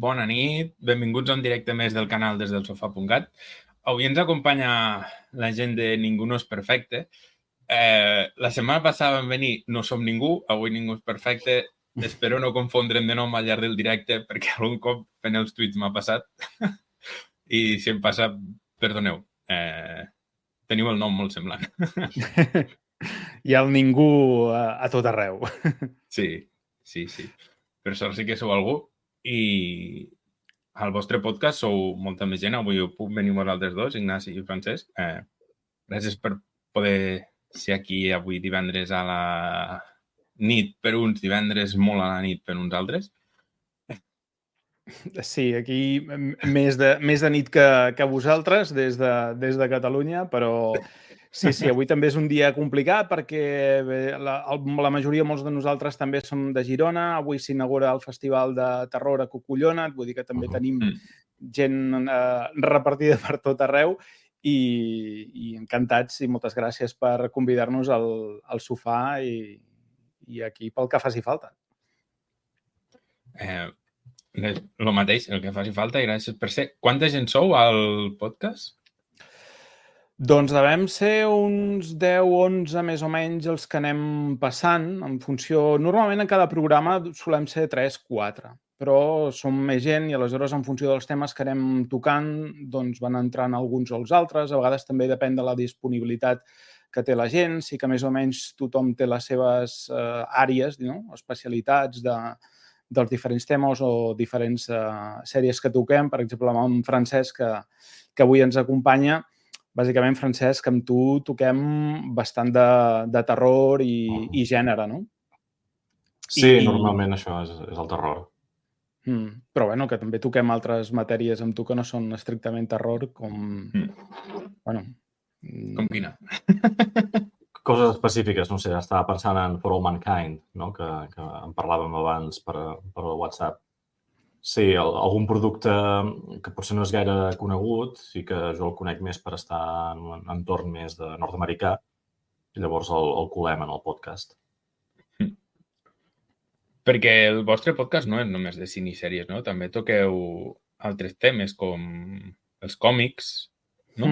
bona nit, benvinguts a un directe més del canal des del sofà.cat. Avui ens acompanya la gent de Ningú no és perfecte. La setmana passada vam venir No som ningú, avui Ningú és perfecte. Espero no confondre'm de nom al llarg del directe, perquè algun cop fent els tuits m'ha passat. I si em passa, perdoneu. Teniu el nom molt semblant. Hi ha el ningú a tot arreu. Sí. Per sort sí que sou algú. I al vostre podcast sou molta més gent. Avui puc venir vosaltres dos, Ignasi i Francesc. Gràcies per poder ser aquí avui divendres a la nit per uns, divendres molt a la nit per uns altres. Sí, aquí més de nit que vosaltres des de Catalunya, però sí, avui també és un dia complicat perquè la majoria, molts de nosaltres també som de Girona. Avui s'inaugura el Festival de Terror a Cucullona, vull dir que també tenim gent repartida per tot arreu i encantats i moltes gràcies per convidar-nos al sofà i aquí pel que faci falta. El mateix, el que faci falta, i gràcies per ser. Quanta gent sou al podcast? Doncs devem ser uns 10-11 més o menys els que anem passant en funció... Normalment en cada programa solem ser 3-4, però som més gent i aleshores en funció dels temes que anem tocant doncs van entrant alguns o els altres. A vegades també depèn de la disponibilitat que té la gent. Sí que més o menys tothom té les seves àrees, no? Especialitats dels diferents temes o diferents sèries que toquem. Per exemple, amb en Francesc, que avui ens acompanya. Bàsicament, Francesc, amb tu toquem bastant de terror i gènere, no? Sí, normalment això és el terror. Però bueno, que també toquem altres matèries amb tu que no són estrictament terror, com... Com quina? Coses específiques, no sé, estava pensant en For All Mankind, no? que en parlàvem abans per WhatsApp. Sí, algun producte que potser no és gaire conegut i que jo el conec més per estar en un entorn més de nord-americà i llavors el colem en el podcast. Perquè el vostre podcast no és només de cine i sèries, no? També toqueu altres temes com els còmics, no?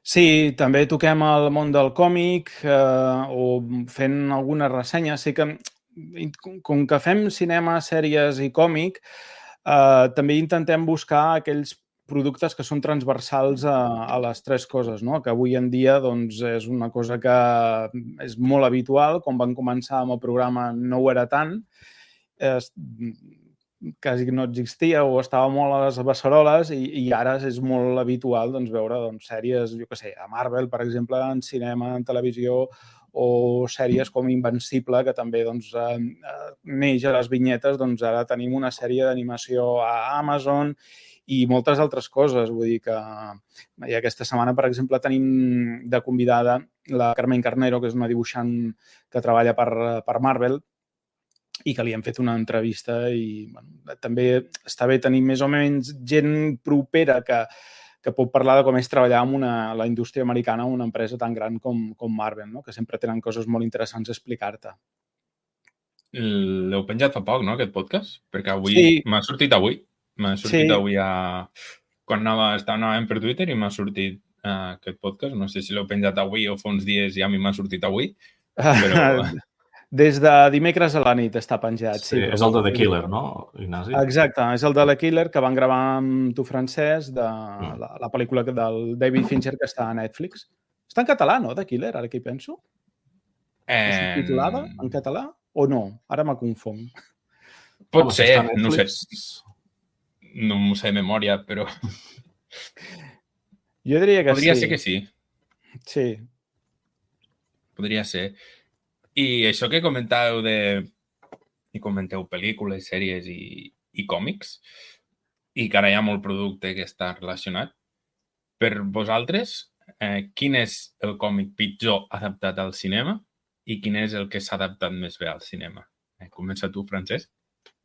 Sí, també toquem el món del còmic o fent alguna ressenya. Sí que, com que fem cinema, sèries i còmic, també intentem buscar aquells productes que són transversals a les tres coses, no? Que avui en dia doncs, és una cosa que és molt habitual. Quan van començar amb el programa no ho era tant. Quasi no existia o estava molt a les beceroles i ara és molt habitual doncs, veure sèries, jo què sé, a Marvel, per exemple, en cinema, en televisió, o sèries com Invencible, que també neix a les vinyetes. Doncs ara tenim una sèrie d'animació a Amazon i moltes altres coses. Vull dir que aquesta setmana, per exemple, tenim de convidada la Carmen Carnero, que és una dibuixant que treballa per Marvel, i que li hem fet una entrevista i també està bé tenir més o menys gent propera que pot parlar de com és treballar amb la indústria americana, una empresa tan gran com Marvel, no? Que sempre tenen coses molt interessants a explicar-te. L'heu penjat fa poc, no, aquest podcast? Perquè avui m'ha sortit avui. M'ha sortit avui quan anàvem per Twitter i m'ha sortit aquest podcast. No sé si l'heu penjat avui o fa uns dies i a mi m'ha sortit avui, però... Des de dimecres a la nit està penjat. Sí, és el de The Killer, no, Ignasi? Exacte, és el de The Killer que van gravar amb tu, Francesc, de la pel·lícula del David Fincher que està a Netflix. Està en català, no, The Killer, ara que hi penso? És subtitulada en català o no? Ara m'ha confon. Pot ser, no sé. No m'ho sé de memòria, però... Jo diria que sí. Podria ser que sí. Sí. Podria ser. I això que comentàveu i comenteu pel·lícules, sèries i còmics, i que ara hi ha molt producte que està relacionat, per vosaltres, quin és el còmic pitjor adaptat al cinema i quin és el que s'ha adaptat més bé al cinema? Comença tu, Francesc.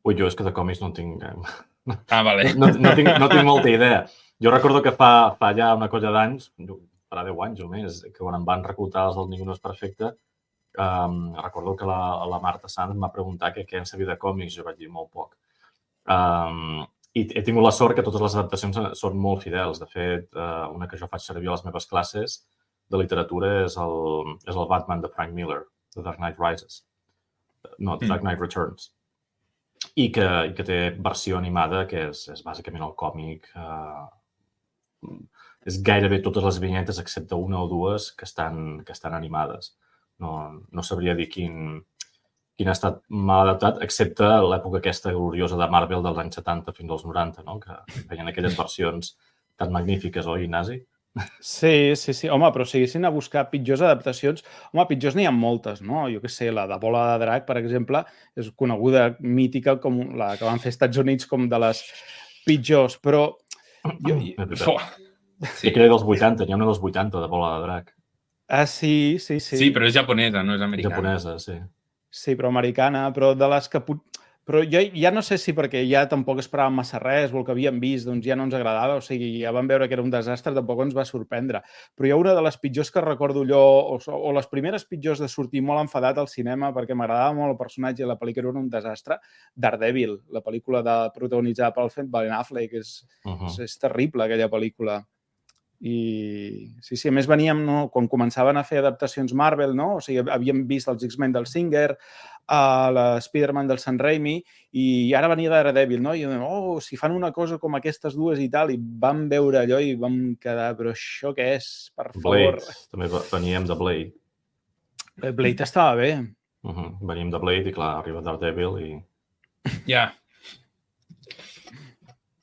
Ui, jo és que de còmics no tinc... Vale. No tinc molta idea. Jo recordo que fa ja una colla d'anys, farà 10 anys o més, que quan em van reclutar els del Ningú no és perfecte, recordo que la Marta Sanz em va preguntar què en sabia de còmics. Jo vaig dir molt poc. I he tingut la sort que totes les adaptacions són molt fidels. De fet, una que jo faig servir a les meves classes de literatura és el Batman de Frank Miller, The Dark Knight Rises. No, The Dark Knight Returns. I que té versió animada, que és bàsicament el còmic. És gairebé totes les vinyetes, excepte una o dues, que estan animades. No sabria dir quin ha estat mal adaptat, excepte l'època aquesta gloriosa de Marvel dels anys 70 fins als 90, no? Que feien aquelles versions tan magnífiques, oi, Ignasi? Sí. Home, però si haguessin a buscar pitjors adaptacions... Home, pitjors n'hi ha moltes, no? Jo què sé, la de Bola de Drac, per exemple, és coneguda, mítica, com la que van fer als Estats Units com de les pitjors, però... Sí, aquella dels 80, n'hi ha una dels 80 de Bola de Drac. Ah, sí. Sí, però és japonesa, no és americana. Japonesa, sí. Sí, però americana, però de les que... Però jo ja no sé si perquè ja tampoc esperàvem massa res o el que havíem vist doncs ja no ens agradava, o sigui, ja vam veure que era un desastre, tampoc ens va sorprendre. Però hi ha una de les pitjors que recordo allò, o les primeres pitjors de sortir molt enfadat al cinema perquè m'agradava molt el personatge i la pel·lícula era un desastre, Daredevil, la pel·lícula protagonitzada pel Ben Affleck, és terrible aquella pel·lícula. I sí, a més veníem, no? Quan començaven a fer adaptacions Marvel, no? O sigui, havíem vist els X-Men del Singer, l'Spider-Man del Sam Raimi, i ara venia Daredevil, no? I si fan una cosa com aquestes dues i tal, i vam veure allò i vam quedar, però això què és, per favor? Blade, també veníem de Blade. Blade estava bé. Veníem de Blade i, clar, arriba Daredevil i... Ja.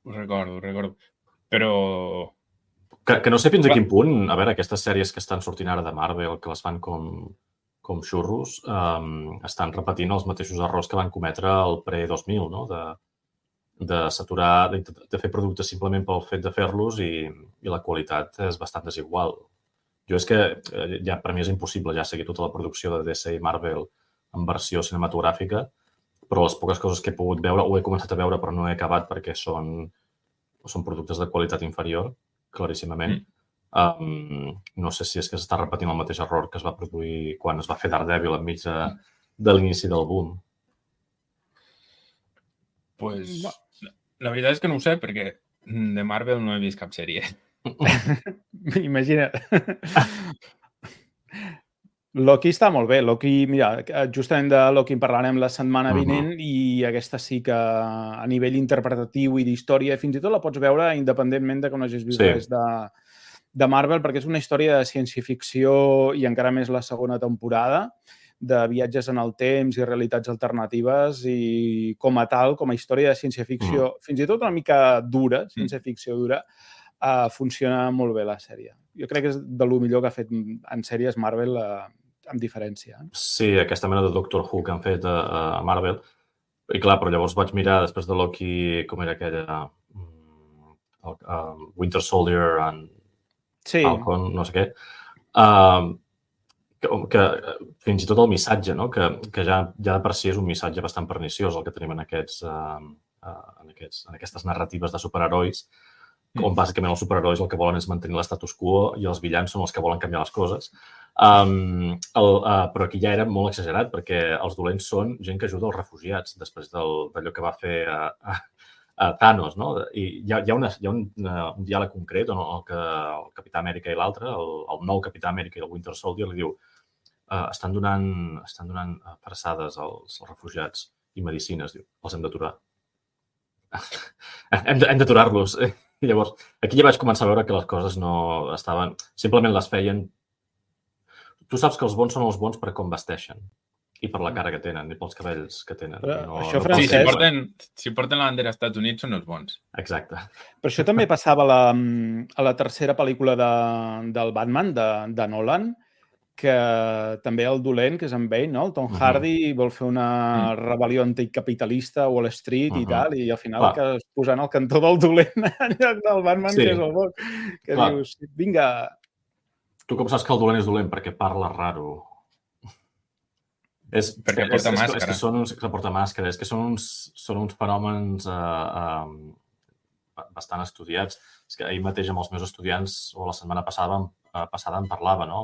Ho recordo. Però... Que no sé fins a quin punt, a veure, aquestes sèries que estan sortint ara de Marvel, que les fan com xurros, estan repetint els mateixos errors que van cometre el pre-2000, no? De saturar, de fer productes simplement pel fet de fer-los i la qualitat és bastant desigual. Jo és que ja per mi és impossible ja seguir tota la producció de DC i Marvel en versió cinematogràfica, però les poques coses que he pogut veure, ho he començat a veure però no he acabat perquè són productes de qualitat inferior, claríssimament. No sé si és que s'està repetint el mateix error que es va produir quan es va fer Daredevil enmig de l'inici del boom. Pues, la veritat és que no ho sé, perquè de Marvel no he vist cap sèrie. Imagina't. Loki està molt bé. Loki, mira, justament de Loki en parlarem la setmana vinent i aquesta sí que a nivell interpretatiu i d'història, fins i tot la pots veure independentment de que no hagis vist res de Marvel, perquè és una història de ciència-ficció i encara més la segona temporada, de viatges en el temps i realitats alternatives i com a tal, com a història de ciència-ficció, fins i tot una mica dura, ciència-ficció dura, funciona molt bé la sèrie. Jo crec que és de lo millor que ha fet en sèries Marvel amb diferència. Sí, aquesta mena de Doctor Who que han fet a Marvel. I clar, però llavors vaig mirar després de Loki com era aquella Winter Soldier and Falcon, no sé què. Que fins i tot el missatge, no? Que ja de per si és un missatge bastant perniciós el que tenim en aquestes narratives de superherois, on bàsicament els superherois el que volen és mantenir l'estatus quo i els villans són els que volen canviar les coses. Però aquí ja era molt exagerat perquè els dolents són gent que ajuda els refugiats després d'allò que va fer a Thanos, no? I hi ha un diàleg concret on el Capità Amèrica i l'altre, el nou Capità Amèrica i el Winter Soldier, li diu estan donant farçades als refugiats i medicines, diu, els hem d'aturar. Hem d'aturar-los. I llavors, aquí ja vaig començar a veure que les coses no estaven... Simplement les feien... Tu saps que els bons són els bons per com vesteixen i per la cara que tenen i pels cabells que tenen. Això, Francesc... Si porten la bandera als Estats Units són els bons. Exacte. Però això també passava a la tercera pel·lícula del Batman, de Nolan, que també el dolent, que és en Bane, no? El Tom Hardy vol fer una rebel·lió anticapitalista a Wall Street i tal, i al final que es posant al cantó del dolent en lloc del Batman, que és el bon. Que dius, vinga... Tu com saps que el dolent és dolent? Perquè parla raro. Perquè porta màscara. És que són uns fenòmens bastant estudiats. És que ahir mateix amb els meus estudiants, o la setmana passada en parlava, no?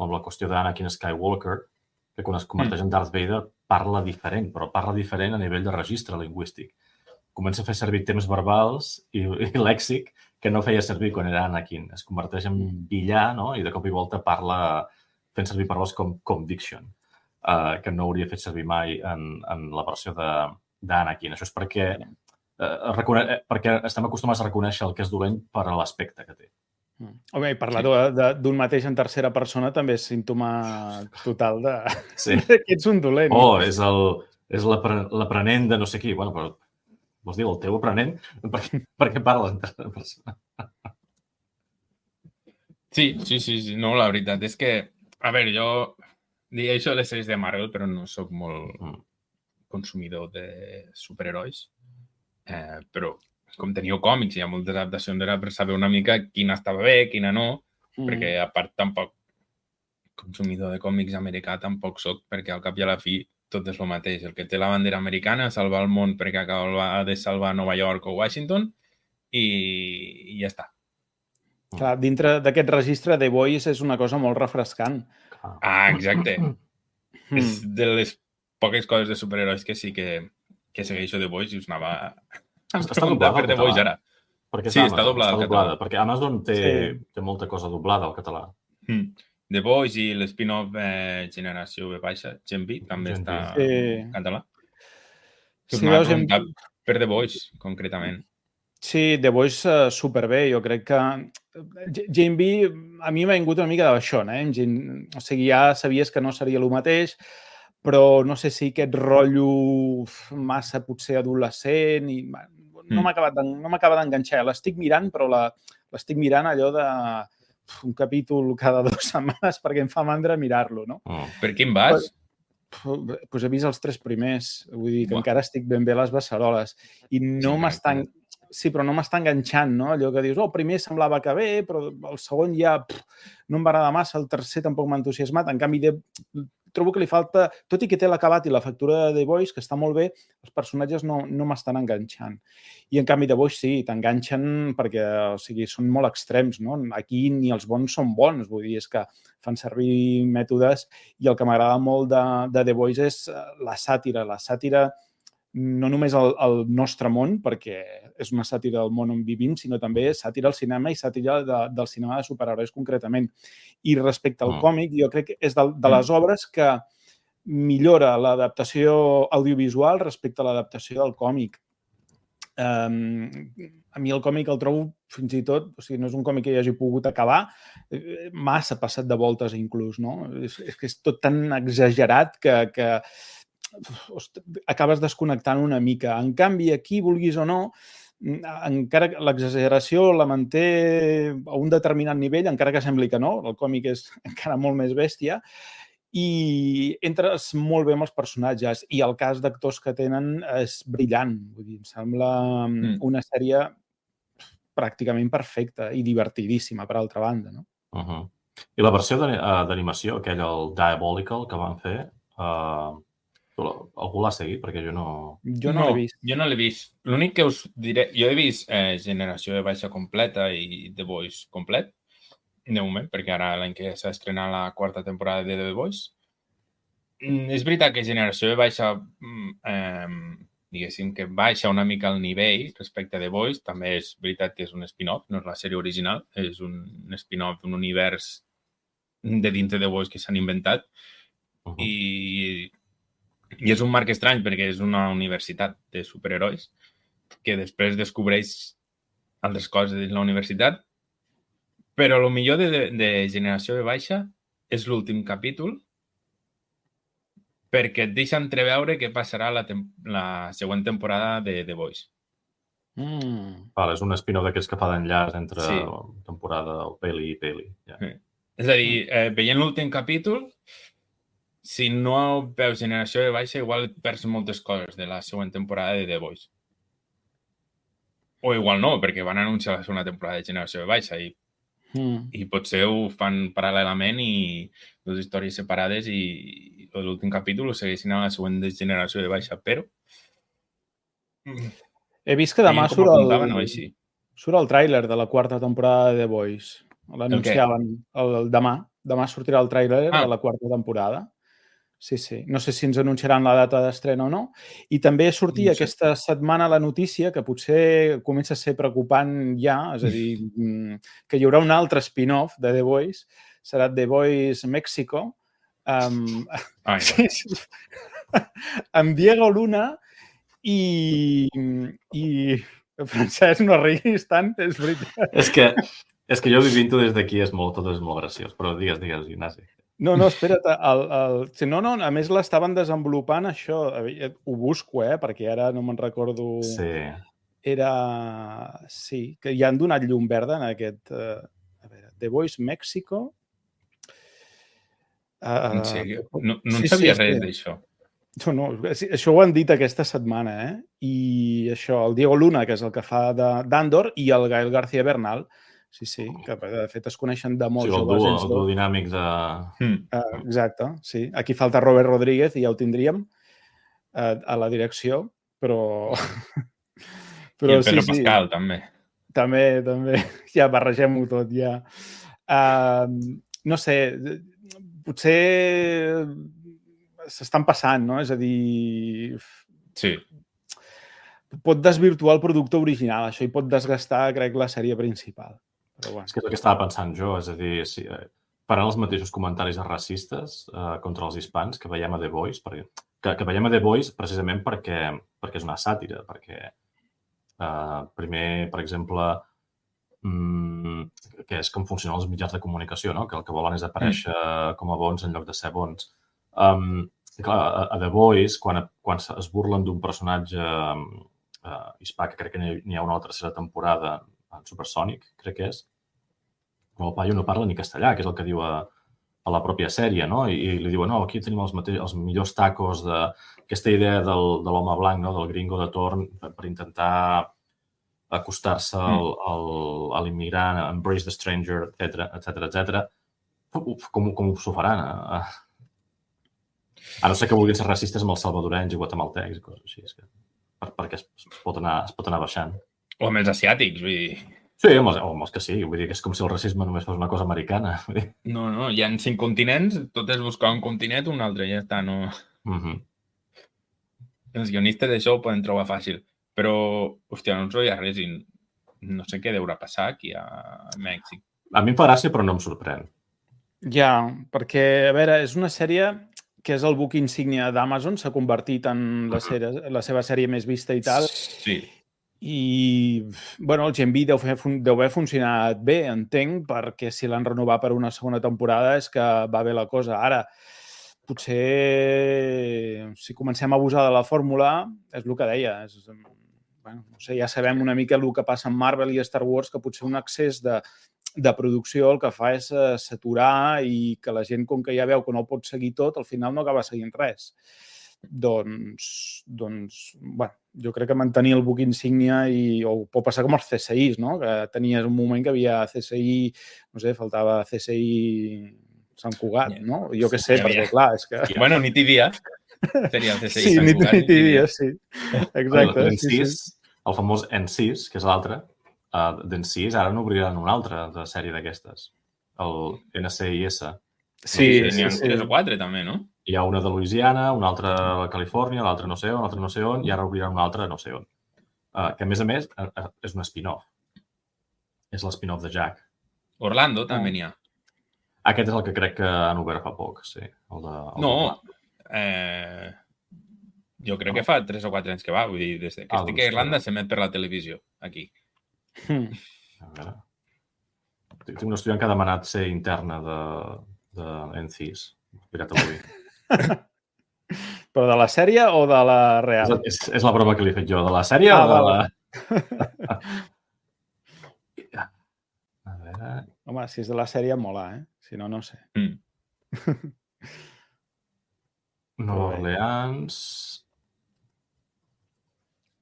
Amb la qüestió d'Anakin Skywalker, que quan es converteix en Darth Vader parla diferent, però parla diferent a nivell de registre lingüístic. comença a fer servir temps verbals i lèxic que no feia servir quan era Anakin. Es converteix en villà, no? I de cop i volta parla fent servir paraules com conviction, que no hauria fet servir mai en la versió d'Anakin. Això és perquè estem acostumats a reconèixer el que és dolent per a l'aspecte que té. Home, i parlar d'un mateix en tercera persona també és símptoma total de que ets un dolent. És l'aprenent de no sé qui. Bueno, però vols dir el teu aprenent? Per què parles en tercera persona? Sí. No, la veritat és que, a veure, jo diria això de les sèries de Marvel, però no sóc molt consumidor de superherois. Però com teniu còmics, hi ha moltes adaptacions, era per saber una mica quina estava bé, quina no, perquè a part tampoc consumidor de còmics americà tampoc soc, perquè al cap i a la fi tot és el mateix. El que té la bandera americana, salvar el món perquè acaba de salvar Nova York o Washington i ja està. Clar, dintre d'aquest registre, The Voice és una cosa molt refrescant. Exacte. És de les poques coses de superherois que sí que segueixo The Voice i us anava a preguntar per The Voice ara. Sí, està doblada al català. Perquè Amazon té molta cosa doblada al català. The Voice i l'spin-off Generació V, Gen V, també està en català. Us anava a preguntar per The Voice, concretament. Sí, The Voice superbé. Jo crec que Gen V a mi m'ha vingut una mica de baixón. O sigui, ja sabies que no seria el mateix, però no sé si aquest rotllo massa potser adolescent i no m'acaba d'enganxar. L'estic mirant, però l'estic mirant allò de un capítol cada 2 setmanes perquè em fa mandra mirar-lo, no? Per quin vas? Doncs he vist els 3 primers. Vull dir que encara estic ben bé a les beceroles. I no m'estan... Sí, però no m'està enganxant, no? Allò que dius, el primer semblava que bé, però el segon ja no em va agradar massa, el tercer tampoc m'ha entusiasmat. En canvi, trobo que li falta, tot i que té l'acabat i la factura de The Voice, que està molt bé, els personatges no m'estan enganxant. I en canvi, The Voice sí, t'enganxen perquè, o sigui, són molt extrems, no? Aquí ni els bons són bons, vull dir, és que fan servir mètodes i el que m'agrada molt de The Voice és la sàtira. La sàtira no només al nostre món, perquè és una sàtira del món on vivim, sinó també sàtira al cinema i sàtira del cinema de superherois concretament. I respecte al còmic, jo crec que és de les obres que millora l'adaptació audiovisual respecte a l'adaptació del còmic. A mi el còmic el trobo fins i tot, o sigui, no és un còmic que hi hagi pogut acabar, massa passat de voltes inclús, no? És que és tot tan exagerat que acabes desconnectant una mica. En canvi, aquí, vulguis o no, encara que l'exageració la manté a un determinat nivell, encara que sembli que no, el còmic és encara molt més bèstia, i entres molt bé amb els personatges. I el cas d'actors que tenen és brillant. Vull dir, em sembla una sèrie pràcticament perfecta i divertidíssima, per altra banda, no? I la versió d'animació, aquell, el Diabolical, que van fer, algú l'ha seguit? Perquè jo no... Jo no l'he vist. Jo no l'he vist. L'únic que us diré... Jo he vist Generació de Baixa completa i The Voice complet, de moment, perquè ara l'any que s'ha estrenat la 4ª temporada de The Voice. És veritat que Generació de Baixa, diguéssim que baixa una mica el nivell respecte a The Voice. També és veritat que és un spin-off, no és la sèrie original, és un spin-off d'un univers de dins de The Voice que s'han inventat. I és un marc estrany perquè és una universitat de superherois que després descobreix altres coses dins la universitat, però el millor de Generació de Baixa és l'últim capítol perquè et deixa entreveure què passarà la següent temporada de The Voice. És un spin-off d'aquests que fa d'enllaç entre temporada o peli i peli. És a dir, veient l'últim capítol, si no veus Generació de Baixa, igual perds moltes coses de la següent temporada de The Voice. O igual no, perquè van anunciar la segona temporada de Generació de Baixa i potser ho fan paral·lelament i dues històries separades i l'últim capítol ho segueixin a la següent de Generació de Baixa, però... He vist que demà surt el tràiler de la 4ª temporada de The Voice. L'anunciaven demà. Demà sortirà el tràiler de la 4ª temporada. Sí, sí. No sé si ens anunciaran la data d'estrena o no. I també sortia aquesta setmana la notícia que potser comença a ser preocupant ja, és a dir, que hi haurà un altre spin-off de The Voice, serà The Voice Mexico, amb Diego Luna i Francesc, no riguis tant, és veritat. És que jo vivint-ho des d'aquí tot és molt graciós, però digues, Ignasi. No, espera't. No, a més l'estaven desenvolupant això. Ho busco, perquè ara no me'n recordo. Sí. Sí, que ja han donat llum verda en aquest... A veure, The Voice Mexico. En sèrio? No en sabia res d'això. No, això ho han dit aquesta setmana, I això, el Diego Luna, que és el que fa d'Andor, i el Gael García Bernal. Sí, que de fet es coneixen de molt joves. El duo dinàmic de... Exacte, sí. Aquí falta Robert Rodríguez i ja ho tindríem a la direcció, però... I el Pedro Pascal, també. També. Ja barregem-ho tot, ja. No sé, potser s'estan passant, no? És a dir... Sí. Pot desvirtuar el producte original, això hi pot desgastar, crec, la sèrie principal. Però bueno. És que és el que estava pensant jo, és a dir, faran els mateixos comentaris racistes contra els hispans que veiem a The Voice, que veiem a The Voice precisament perquè és una sàtira, perquè primer, per exemple, que és com funcionen els mitjans de comunicació, no? Que el que volen és aparèixer com a bons en lloc de ser bons. Clar, a The Voice, quan es burlen d'un personatge hispà, que crec que n'hi ha una tercera temporada en Supersonic, crec que és, el paio no parla ni castellà, que és el que diu a la pròpia sèrie, no? I li diuen, no, aquí tenim els millors tacos d'aquesta idea de l'home blanc, no? Del gringo de torn, per intentar acostar-se a l'immigrant, embrace the stranger, etc. Com s'ho faran? A no ser que vulguin ser racistes amb els salvadorenys i guatemaltecs i coses així, perquè es pot anar baixant. O amb els asiàtics, vull dir... Sí, amb els que sí. Vull dir que és com si el racisme només fos una cosa americana. No, hi ha 5 continents, tot és buscar un continent, un altre, ja està, no... Els guionistes d'això ho poden trobar fàcil, però, hòstia, no ens veia res i no sé què deurà passar aquí a Mèxic. A mi em fa gràcia, però no em sorprèn. Ja, perquè, a veure, és una sèrie que és el buc insígnia d'Amazon, s'ha convertit en la seva sèrie més vista i tal. Sí. I, bueno, el Gen V deu haver funcionat bé, entenc, perquè si l'han renovat per una segona temporada és que va bé la cosa. Ara, potser, si comencem a abusar de la fórmula, és el que deia. Bueno, no sé, ja sabem una mica el que passa amb Marvel i Star Wars, que potser un excés de producció el que fa és saturar i que la gent, com que ja veu que no ho pot seguir tot, al final no acaba seguint res. Doncs, bueno, jo crec que mantenir el buc insígnia o pot passar com els CSIs, no? Que tenies un moment que havia CSI, no sé, faltava CSI Sant Cugat, no? Jo què sé, perquè clar, és que... Bueno, nit i dia seria el CSI Sant Cugat. Sí, nit i dia, sí. Exacte. El famós N6, que és l'altre, d'N6, ara n'obriran un altre de sèrie d'aquestes, el NCIS. Sí, n'hi ha 3 o 4 també, no? Hi ha una de Louisiana, una altra a Califòrnia, l'altra no sé on, l'altra no sé on, i ara obriran una altra no sé on. Que, a més, és un spin-off. És l'spin-off de Jack. Orlando també n'hi ha. Aquest és el que crec que han obert fa poc, sí. Jo crec que fa 3 o 4 anys que va. Vull dir, des que estic a Irlanda s'emet per la televisió, aquí. A veure. Tinc un estudiant que ha demanat ser interna de N6. Mirat avui. Però de la sèrie o de la real? És la broma que li he fet jo. De la sèrie o de la... A veure... Home, si és de la sèrie, mola, Si no, no sé. Nova Orleans...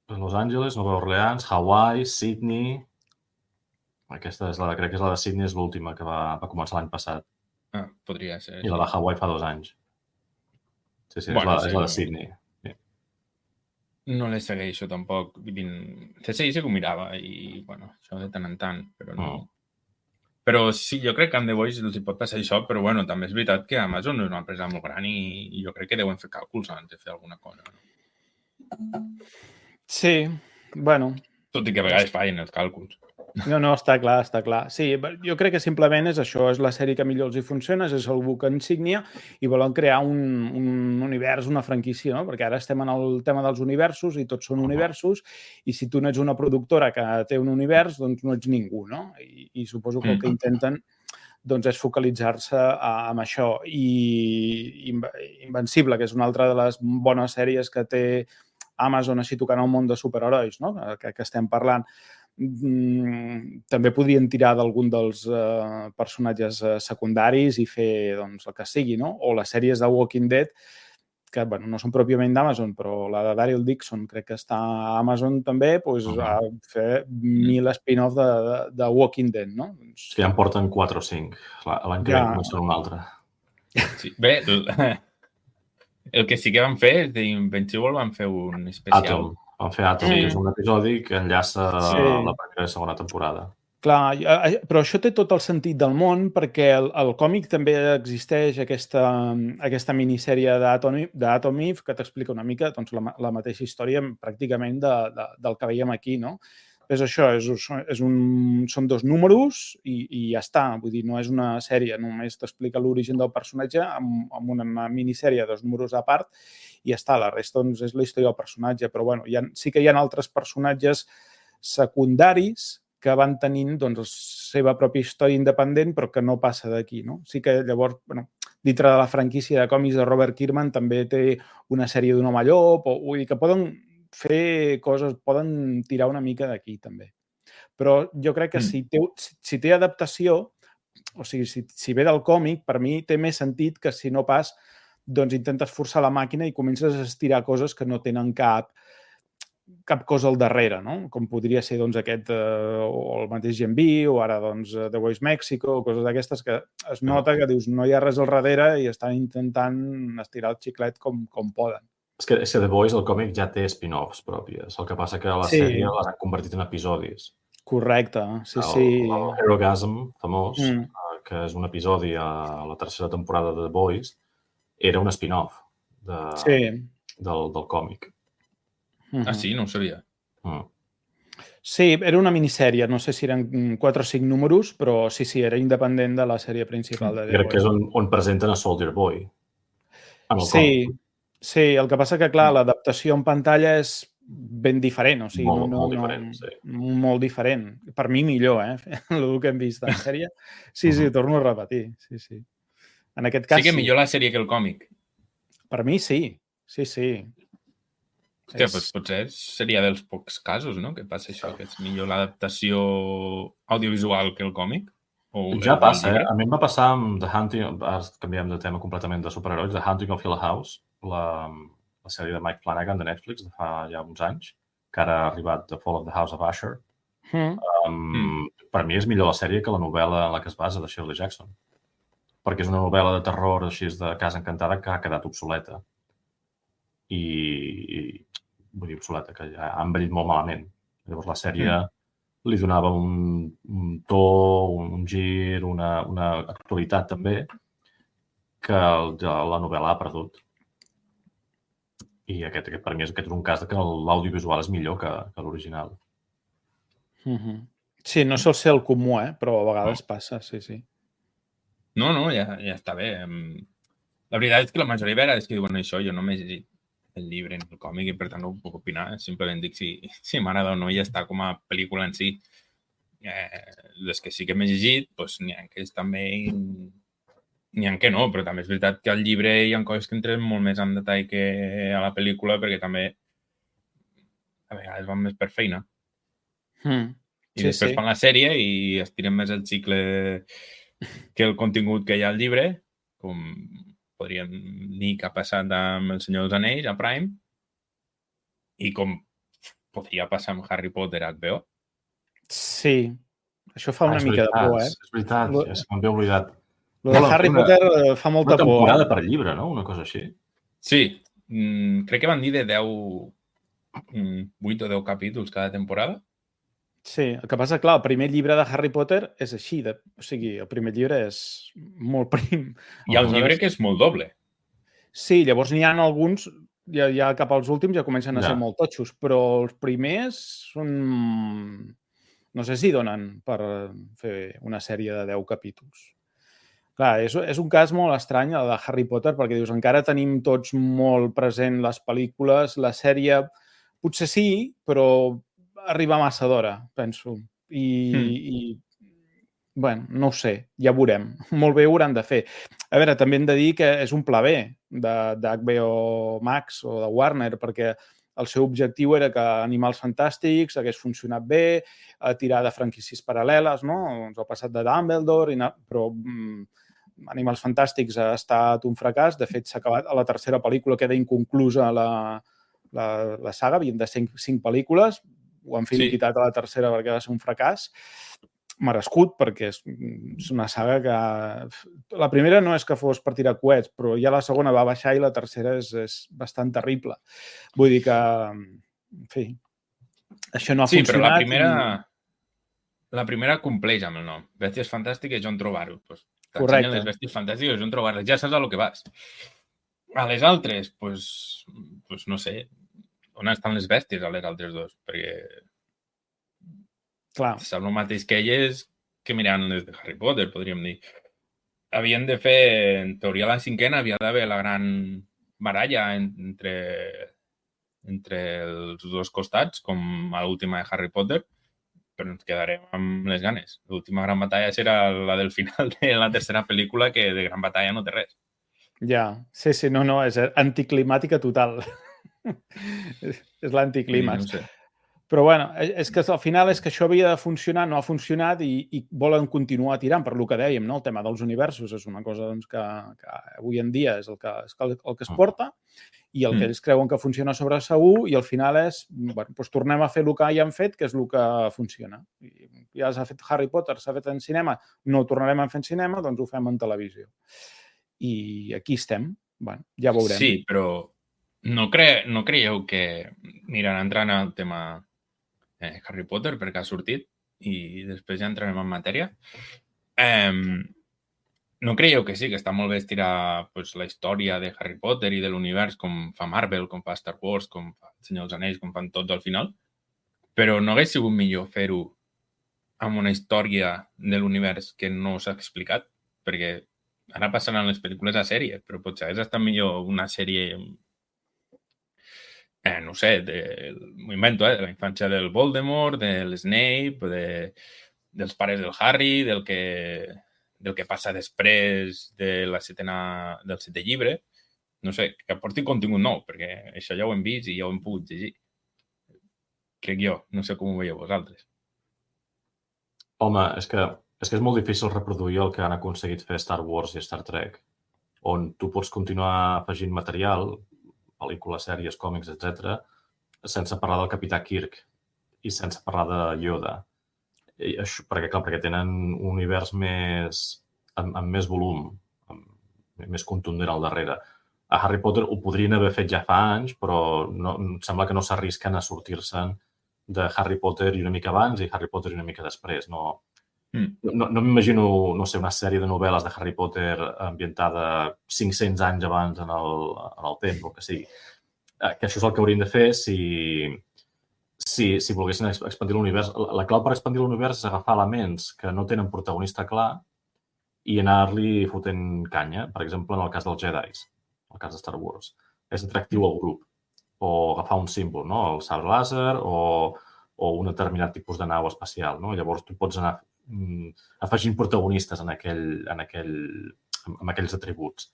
Los Angeles, Nova Orleans, Hawaii, Sydney... Aquesta crec que és la de Sydney, és l'última que va començar l'any passat. Podria ser. I la de Hawaii fa 2 anys. Sí, bueno, és la de Sydney. Sí. No les segueixo tampoc. CSI sí que ho mirava i, bueno, això de tant en tant, però no. Però sí, jo crec que amb The Voice els hi pot passar això, però bueno, també és veritat que Amazon és una empresa molt gran i jo crec que deuen fer càlculs abans de fer alguna cosa. No? Sí, bueno. Tot i que a vegades fallen els càlculs. No, està clar, està clar. Sí, jo crec que simplement és això, és la sèrie que millor els hi funciona, és el book insígnia i volen crear un univers, una franquícia, no? Perquè ara estem en el tema dels universos i tots són universos i si tu no ets una productora que té un univers, doncs no ets ningú, no? I suposo que el que intenten doncs, és focalitzar-se en això. I Invencible, que és una altra de les bones sèries que té Amazon així tocant el món de superherois, no? Que estem parlant, també podrien tirar d'algun dels personatges secundaris i fer doncs, el que sigui, no? O les sèries de Walking Dead, que bueno, no són pròpiament d'Amazon, però la de Daryl Dixon crec que està a Amazon també, doncs, a fer 1.000 spin-off de Walking Dead, no? Sí, ja en porten 4 o 5. L'any que ve començarà un altre. Sí. Bé, el que sí que van fer és d'Invincible van fer un especial. Van fer Atom, que és un episodi que enllaça la primera i segona temporada. Clar, però això té tot el sentit del món perquè el còmic també existeix aquesta minissèrie d'Atom Eve que t'explica una mica doncs, la mateixa història pràcticament del que veiem aquí, no? És això, són 2 números i ja està. Vull dir, no és una sèrie, només t'explica l'origen del personatge amb una minissèrie de 2 números a part i ja està. La resta doncs, és la història del personatge. Però bueno, sí que hi ha altres personatges secundaris que van tenint doncs, la seva pròpia història independent però que no passa d'aquí, no? Sí que llavors, bueno, dintre de la franquícia de còmics de Robert Kirkman també té una sèrie d'un home llop, vull dir que poden fer coses, poden tirar una mica d'aquí també. Però jo crec que si té adaptació, o sigui, si ve del còmic, per mi té més sentit que si no pas doncs intentes forçar la màquina i comences a estirar coses que no tenen cap cosa al darrere, no? Com podria ser doncs, aquest o el mateix Gen V o ara doncs, The Voice Mexico o coses d'aquestes que es nota que dius no hi ha res al darrere i estan intentant estirar el xiclet com poden. És que The Voice, el còmic, ja té spin-offs pròpies. El que passa que a la sèrie les han convertit en episodis. Correcte, sí. El Herogasm, famós, que és un episodi a la tercera temporada de The Voice, era un spin-off del còmic. Ah, sí? No ho sabia. Sí, era una minissèrie. No sé si eren 4 o 5 números, però sí, era independent de la sèrie principal de The Voice. Crec que és on presenten a Soldier Boy. Sí, el que passa que, clar, l'adaptació en pantalla és ben diferent. O sigui, molt diferent, sí. Molt diferent. Per mi millor, el que hem vist en sèrie. Sí, torno a repetir. Sí. En aquest cas, sí que millor la sèrie que el còmic. Per mi sí. Hòstia, doncs potser seria dels pocs casos, no?, que passa això, que és millor l'adaptació audiovisual que el còmic. Ja passa, A mi em va passar amb The Hunting, canviem de tema completament de superherois, The Hunting of Hill House, la sèrie de Mike Flanagan de Netflix de fa ja uns anys, que ara ha arribat The Fall of the House of Usher. Per mi és millor la sèrie que la novel·la en la que es basa de Shirley Jackson, perquè és una novel·la de terror així de Casa Encantada que ha quedat obsoleta. Vull dir obsoleta, que ja ha envellit molt malament. Llavors la sèrie li donava un to, un gir, una actualitat també, que la novel·la ha perdut. I aquest per mi és un cas que l'audiovisual és millor que l'original. Sí, no sol ser el comú, però a vegades passa, sí. No, ja està bé. La veritat és que la majoria de vegades que diuen això, jo no m'he llegit el llibre en el còmic i per tant no ho puc opinar. Simplement dic si m'agrada o no i ja està com a pel·lícula en si. Les que sí que m'he llegit, doncs n'hi ha que també... N'hi ha que no, però també és veritat que al llibre hi ha coses que entren molt més en detall que a la pel·lícula perquè també a vegades van més per feina. I després fan la sèrie i estiren més el cicle que el contingut que hi ha al llibre, com podríem dir que ha passat amb El Senyor dels Anells a Prime i com podria passar amb Harry Potter a HBO. Sí, això fa una mica de por, És veritat, ja se m'havia oblidat. Lo de Harry Potter fa molta por. Una temporada per llibre, no? Una cosa així. Sí, crec que van dir de 8 o 10 capítols cada temporada. Sí, el que passa, clar, el primer llibre de Harry Potter és així, o sigui, el primer llibre és molt prim. Hi ha un llibre que és molt doble. Sí, llavors n'hi ha alguns, ja cap als últims ja comencen a ser molt totxos, però els primers són... No sé si donen per fer una sèrie de 10 capítols. Clar, és un cas molt estrany, el de Harry Potter, perquè dius, encara tenim tots molt present les pel·lícules, la sèrie potser sí, però arriba massa d'hora, penso. I bueno, no ho sé, ja veurem. Molt bé ho hauran de fer. A veure, també hem de dir que és un pla B d'HBO Max o de Warner, perquè el seu objectiu era que Animals Fantàstics hagués funcionat bé, tirar de franquícies paral·leles, no? El passat de Dumbledore, però Animals Fantàstics ha estat un fracàs. De fet, s'ha acabat a la tercera pel·lícula, queda inconclusa la saga, havien de ser 5 pel·lícules, ho han finiquitat a la tercera perquè va ser un fracàs merescut, perquè és una saga que... La primera no és que fos per tirar coets, però ja la segona va baixar i la tercera és bastant terrible. Vull dir que, en fi, això no ha funcionat. Sí, però la primera compleix amb el nom. Bèsties fantàstiques, on trobar-ho. T'ensenyen les bèsties fantàstiques, on trobar-les. Ja saps a lo que vas. A les altres, pues no sé, on estan les bèsties a les altres dos? Perquè... Clar. Sap el mateix que elles que mirant les de Harry Potter, podríem dir. Havien de fer, en teoria, la cinquena havia d'haver la gran baralla entre els dos costats, com a l'última de Harry Potter, però ens quedarem amb les ganes. L'última gran batalla serà la del final de la tercera pel·lícula, que de gran batalla no té res. Ja, sí, no, és anticlimàtica total. És l'anticlímax. No sé. Però, bueno, és que al final és que això havia de funcionar, no ha funcionat i volen continuar tirant, per lo que dèiem, no? El tema dels universos és una cosa doncs, que avui en dia és el que es porta i el que ells creuen que funciona sobre segur i al final és, bueno, doncs tornem a fer el que ja han fet, que és el que funciona. Ja s'ha fet Harry Potter, s'ha fet en cinema, no ho tornarem a fer en cinema, doncs ho fem en televisió. I aquí estem. Bueno, ja veurem. Sí, però no creieu que, mira, entrant al tema Harry Potter, perquè ha sortit, i després ja entrarem en matèria, no creieu que sí, que està molt bé estirar la història de Harry Potter i de l'univers com fa Marvel, com fa Star Wars, com fa El Senyor dels Anells, com fan tots al final? Però no hagués sigut millor fer-ho amb una història de l'univers que no s'ha explicat? Perquè ara passaran les pel·lícules a sèrie, però potser hagués estat millor una sèrie, no sé, m'ho invento, de la infància del Voldemort, de l'Snape, dels pares del Harry, del que passa després del setè llibre. No sé, que aporti contingut nou, perquè això ja ho hem vist i ja ho hem pogut llegir. Crec jo, no sé com ho veieu vosaltres. Home, és que és molt difícil reproduir el que han aconseguit fer Star Wars i Star Trek, on tu pots continuar afegint material, pel·lícules, sèries, còmics, etc., sense parlar del Capità Kirk i sense parlar de Yoda. I això, perquè tenen un univers amb més volum, més contundent al darrere. A Harry Potter ho podrien haver fet ja fa anys, però sembla que no s'arrisquen a sortir-se'n de Harry Potter i una mica abans i Harry Potter i una mica després. No m'imagino, no sé, una sèrie de novel·les de Harry Potter ambientada 500 anys abans en el temps, o que sigui. Que això és el que haurien de fer si volguessin expandir l'univers. La clau per expandir l'univers és agafar elements que no tenen protagonista clar i anar-li fotent canya. Per exemple, en el cas dels Jedis, en el cas de Star Wars. És atractiu al grup. O agafar un símbol, no? El sabre làser o un determinat tipus de nau espacial, no? Llavors tu pots anar afegint protagonistes amb aquells atributs.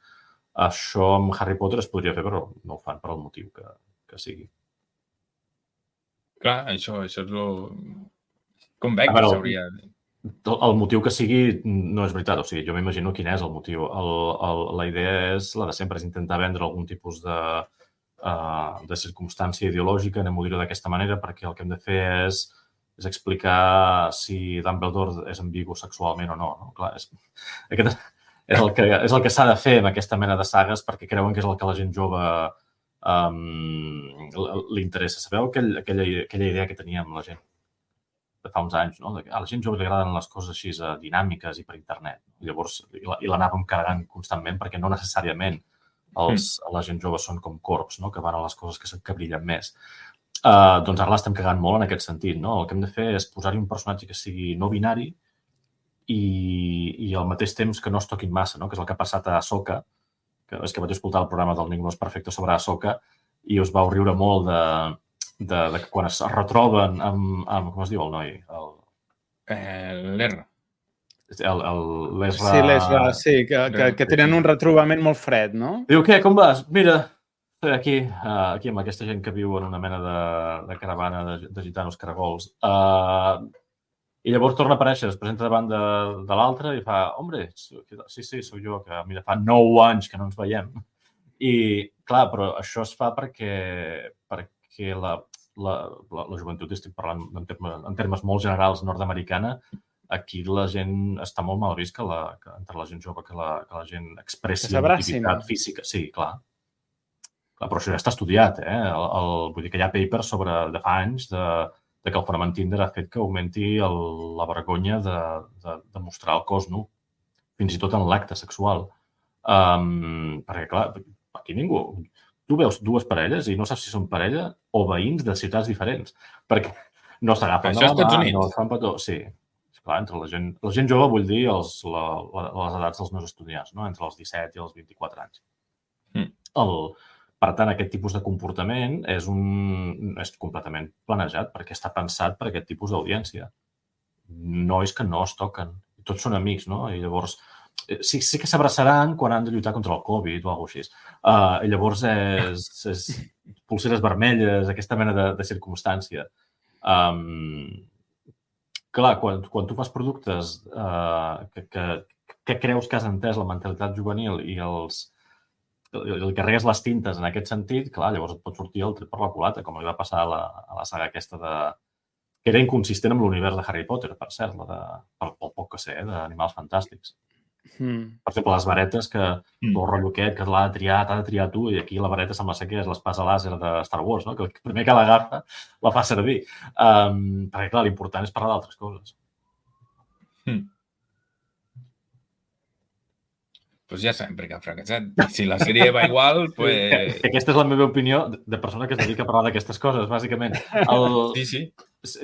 Això amb Harry Potter es podria fer, però no ho fan per al motiu que sigui. Clar, això és el... Com veig que s'hauria... El motiu que sigui no és veritat. O sigui, jo m'imagino quin és el motiu. La idea és la de sempre, és intentar vendre algun tipus de circumstància ideològica, anem-ho dir d'aquesta manera, perquè el que hem de fer és explicar si Dumbledore és ambigu sexualment o no. Clar, és el que s'ha de fer amb aquesta mena de sagues perquè creuen que és el que a la gent jove li interessa. Sabeu aquella idea que teníem la gent? de fa uns anys, no? A la gent jove li agraden les coses així dinàmiques i per internet. Llavors, i l'anàvem carregant constantment perquè no necessàriament la gent jove són com corps, no? Que van a les coses que brillen més. Doncs ara l'estem cagant molt en aquest sentit, no? El que hem de fer és posar-hi un personatge que sigui no binari i al mateix temps que no es toquin massa, no? Que és el que ha passat a Ahsoka, que és que vaig escoltar el programa del Ningú no és perfecte sobre Ahsoka i us vau riure molt de que quan es retroben amb com es diu el noi? L'Erra. L'Ezra... Sí, l'Ezra, sí, que tenen un retrobament molt fred, no? Diu, què, com vas? Mira, aquí amb aquesta gent que viu en una mena de caravana de gitanos caragols. I llavors torna a aparèixer, es presenta davant de l'altre i fa, hombre, sí, sóc jo, que mira, fa 9 anys que no ens veiem. I, clar, però això es fa perquè la joventut, estic parlant en termes molt generals nord-americana, aquí la gent està molt mal vist que entre la gent jove que la gent expressi activitat física. Sí, clar. Però això ja està estudiat, vull dir que hi ha papers de fa anys de que el fenomen Tinder ha fet que augmenti la vergonya de mostrar el cos nu, fins i tot en l'acte sexual. Perquè, clar, aquí ningú... Tu veus dues parelles i no saps si són parella o veïns de ciutats diferents, perquè no s'agafen de la mà, no es fan petó. Sí, clar, entre la gent jove vull dir les edats dels meus estudiants, no? Entre els 17 i els 24 anys. Per tant, aquest tipus de comportament és completament planejat perquè està pensat per aquest tipus d'audiència. Nois que no es toquen. Tots són amics, no? I llavors sí que s'abraçaran quan han de lluitar contra el Covid o alguna cosa així. I llavors és pulseres vermelles, aquesta mena de circumstància. Clar, quan tu fas productes que creus que has entès la mentalitat juvenil i el carregues les tintes en aquest sentit, clar, llavors et pot sortir el tret per la culata, com li va passar a la saga aquesta que era inconsistent amb l'univers de Harry Potter, per cert, pel poc que sé, d'Animals Fantàstics. Per exemple, les varetes, que el rotllo aquest, que l'ha de triar tu, i aquí la vareta sembla ser que és l'espasa làser de Star Wars, no? Que el primer que l'agafa la fa servir. Perquè, clar, l'important és parlar d'altres coses. Pues ja sabem per què ha fracassat. Si la sèrie va igual, pues... Aquesta és la meva opinió de persona que es dedica a parlar d'aquestes coses, bàsicament. Sí.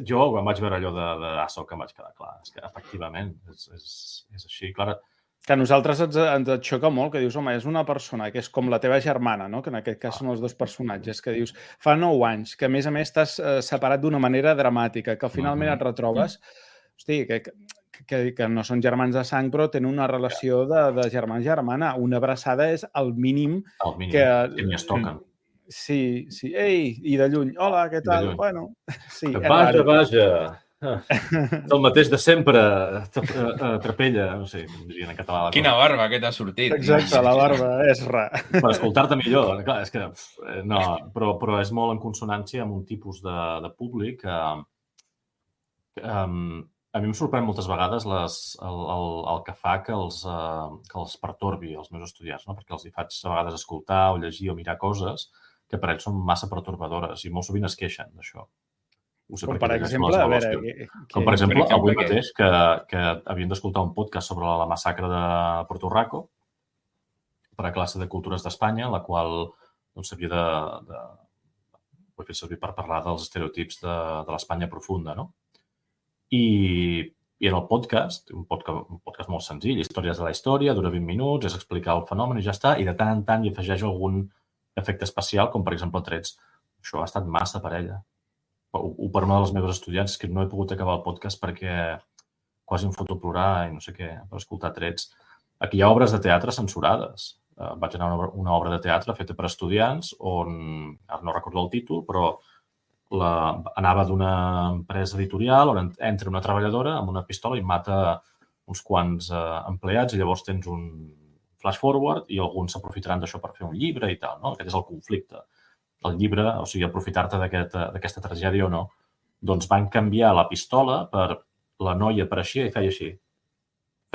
Jo quan vaig veure allò d'Ahsoka em vaig quedar clar. És que, efectivament, és així. Clar, que a nosaltres ens xoca molt, que dius, home, és una persona que és com la teva germana, no? Que en aquest cas són els dos personatges, que dius, fa 9 anys, que a més estàs separat d'una manera dramàtica, que finalment et retrobes, hosti, que no són germans de sang, però tenen una relació de germà-germana. Una abraçada és el mínim. El mínim, que ni es toquen. Sí. Ei, i de lluny. Hola, què tal? Bueno, sí. Vaja. El mateix de sempre. Trapella. No sé, com dirien en català. Quina barba que t'ha sortit. Exacte, la barba és ra. Per escoltar-te millor. Clar, és que... No, però és molt en consonància amb un tipus de públic que... A mi em sorprèn moltes vegades el que fa que els pertorbi els meus estudiants, no? Perquè els hi faig a vegades escoltar o llegir o mirar coses que per ells són massa pertorbadores i molt sovint es queixen d'això. Com per exemple, a veure... Com per exemple, avui mateix, que havien d'escoltar un podcast sobre la massacre de Puerto Rico per a classe de cultures d'Espanya, la qual s'havia de fer servir per parlar dels estereotips de l'Espanya profunda, no? I en el podcast, un podcast molt senzill, històries de la història, dura 20 minuts, és explicar el fenomen i ja està, i de tant en tant hi afegeix algun efecte especial, com per exemple trets. Això ha estat massa per ella. Per una de les meves estudiants, que no he pogut acabar el podcast perquè quasi em foto a plorar i no sé què, per escoltar trets. Aquí hi ha obres de teatre censurades. Vaig anar a una obra de teatre feta per estudiants on, ara no recordo el títol, però anava d'una empresa editorial on entra una treballadora amb una pistola i mata uns quants empleats i llavors tens un flash forward i alguns s'aprofitaran d'això per fer un llibre i tal, no? Aquest és el conflicte. El llibre, o sigui, aprofitar-te d'aquesta tragèdia o no, doncs van canviar la pistola per la noia apareixia i feia així.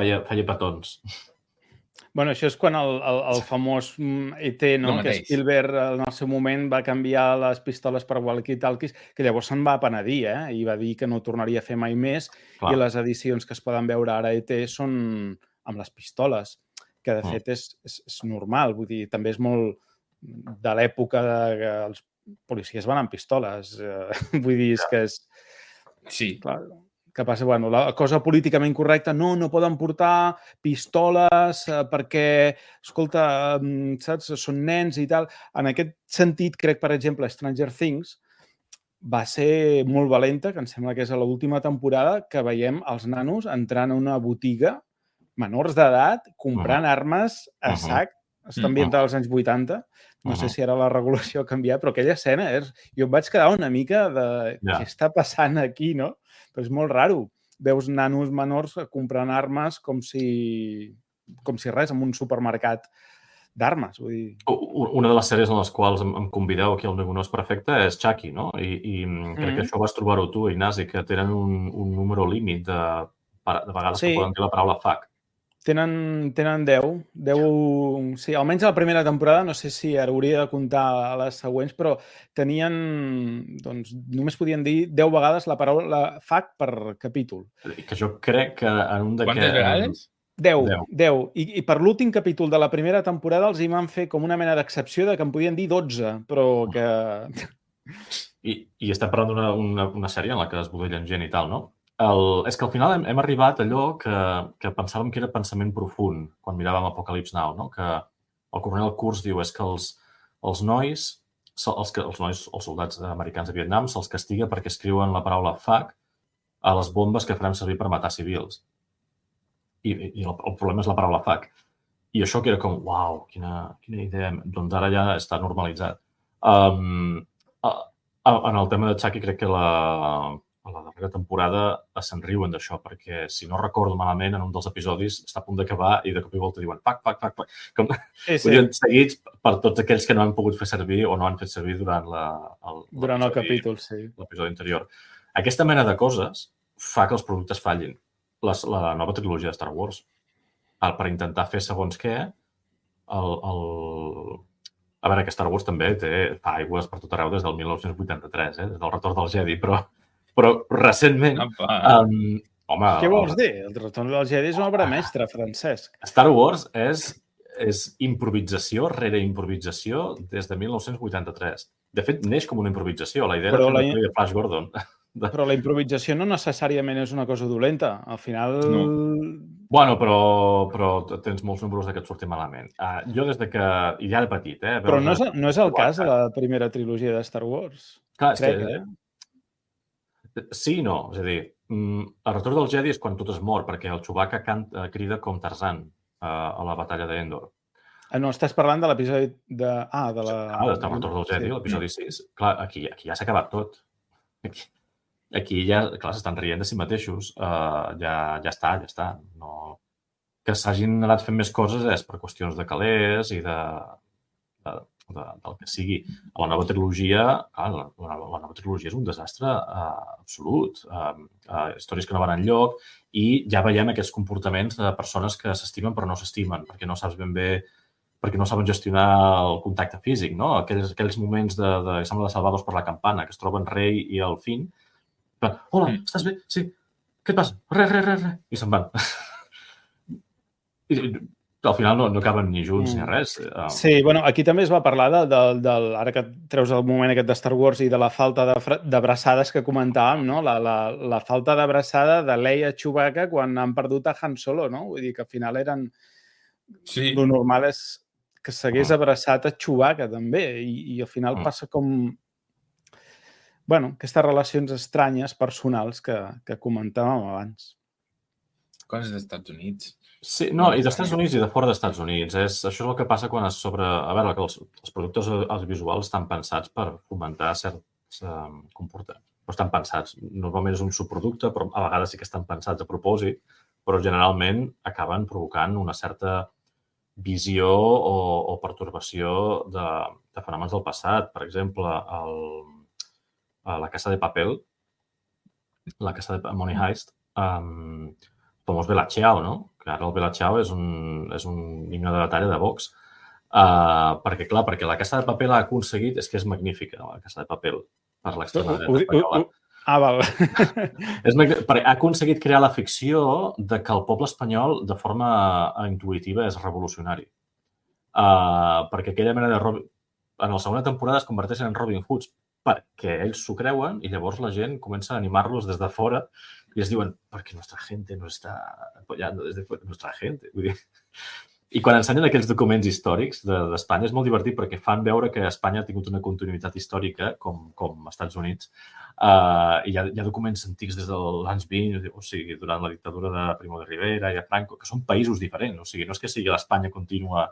Feia petons. Bueno, això és quan el famós ET, no? Que Spielberg en el seu moment va canviar les pistoles per walkie-talkies, que llavors se'n va penedir, i va dir que no tornaria a fer mai més. Clar. I les edicions que es poden veure ara a ET són amb les pistoles, que de fet és normal. Vull dir, també és molt de l'època que els policies van amb pistoles. Vull dir, és que és... Sí. Clar, que passa, bueno, la cosa políticament correcta, no poden portar pistoles perquè, escolta, saps, són nens i tal. En aquest sentit, crec, per exemple, Stranger Things va ser molt valenta, que em sembla que és a l'última temporada, que veiem els nanos entrant a una botiga, menors d'edat, comprant armes a sac. Està ambientat als anys 80. No sé si ara la regulació ha canviat, però aquella escena jo em vaig quedar una mica de què està passant aquí, no? Però és molt raro. Veus nanos menors comprant armes com si res, en un supermercat d'armes. Vull dir... Una de les sèries en les quals em convideu aquí al Ninguno és perfecte és Chucky, no? I crec que això vas trobar-ho tu, Ignasi, que tenen un número límit de vegades que poden dir la paraula fuck. Tenen 10. Sí, almenys a la primera temporada, no sé si ara hauria de comptar a les següents, però tenien, doncs, només podien dir 10 vegades la paraula fuck per capítol. Que jo crec que en un d'aquests... Quantes vegades? 10. I per l'últim capítol de la primera temporada els hi van fer com una mena d'excepció de que en podien dir 12, però que... I estem parlant d'una sèrie en la que es budellen gent i tal, no? És que al final hem arribat a allò que pensàvem que era pensament profund quan miràvem Apocalypse Now, no? Que el coronel Kurtz diu és que els nois, els soldats americans de Vietnam, se'ls castiga perquè escriuen la paraula fuck a les bombes que farem servir per matar civils. I el problema és la paraula fuck. I això que era com, uau, quina idea. Doncs ara ja està normalitzat. En el tema de Chucky crec que a la darrera temporada se'n riuen d'això, perquè si no recordo malament, en un dels episodis està a punt d'acabar i de cop i volta diuen fuck. Com podien seguits per tots aquells que no han pogut fer servir o no han fet servir durant el capítol, sí. L'episodi anterior. Aquesta mena de coses fa que els productes fallin. La nova trilogia de Star Wars, per intentar fer segons què, a veure que Star Wars també fa aigües per tot arreu des del 1983, des del Retorn del Jedi, però recentment... Home, què vols dir? El Retorn del Jedi és una obra mestra, Francesc. Star Wars és improvisació rere improvisació des de 1983. De fet, neix com una improvisació. La idea era fer una pel·li de Flash Gordon. Però la improvisació no necessàriament és una cosa dolenta. Al final... No. Bueno, però tens molts números que et surtin malament. Jo des de que... I ja de petit, Però no és el cas de la primera trilogia de Star Wars. Clar, crec, sí i no. És a dir, el Retorn del Jedi és quan tot es mor, perquè el Chewbacca crida com Tarzan a la batalla d'Endor. No, estàs parlant de l'episodi de... del Retorn del Jedi, l'episodi 6. Clar, aquí ja s'ha acabat tot. Aquí ja, clar, s'estan rient de si mateixos. Ja està. No... Que s'hagin anat fent més coses és per qüestions de calés i del que sigui. A la nova trilogia, clar, la nova trilogia és un desastre absolut. Històries que no van enlloc i ja veiem aquests comportaments de persones que s'estimen però no s'estimen, perquè no saps ben bé, perquè no saben gestionar el contacte físic, no? Aquells moments de sembla de Salvados per la campana, que es troben Rey i el Finn. Hola, estàs bé? Sí. Què et passa? Res. I se'n van. I al final no acaben ni junts ni res. Sí, bueno, aquí també es va parlar ara que treus el moment aquest de Star Wars i de la falta d'abraçades que comentàvem, no? La falta d'abraçada de Leia Chewbacca quan han perdut a Han Solo, no? Vull dir que al final eren... Sí. Lo normal és que s'hagués abraçat a Chewbacca també i al final passa com... Bueno, aquestes relacions estranyes, personals, que comentàvem abans. Coses dels Estats Units. Sí, no, i dels Estats Units i de fora dels Estats Units. Això és el que passa quan es sobre... A veure, que els productes audiovisuals estan pensats per fomentar certs comportaments. Però estan pensats. Normalment és un subproducte, però a vegades sí que estan pensats a propòsit, però generalment acaben provocant una certa visió o pertorbació de fenòmens del passat. Per exemple, La Casa de Papel, la Casa de Money Heist, famós Bella Ciao, no? que ara el Bella Ciao és un himne de batalla de Vox. Perquè la Casa de Papel ha aconseguit, és que és magnífica, la Casa de Papel, per l'extrema dreta espanyola. Val. Ha aconseguit crear la ficció de que el poble espanyol, de forma intuïtiva, és revolucionari. Perquè aquella mena de... En la segona temporada es converteixen en Robin Hoods perquè ells s'ho creuen i llavors la gent comença a animar-los des de fora i es diuen, perquè nuestra gente no està apoyando desde fuera, nuestra gente. Vull dir... I quan ensenyen aquells documents històrics d'Espanya és molt divertit perquè fan veure que Espanya ha tingut una continuïtat històrica com als Estats Units i hi ha documents antics des dels anys 20, o sigui, durant la dictadura de Primo de Rivera i de Franco, que són països diferents. O sigui, no és que sigui l'Espanya contínua,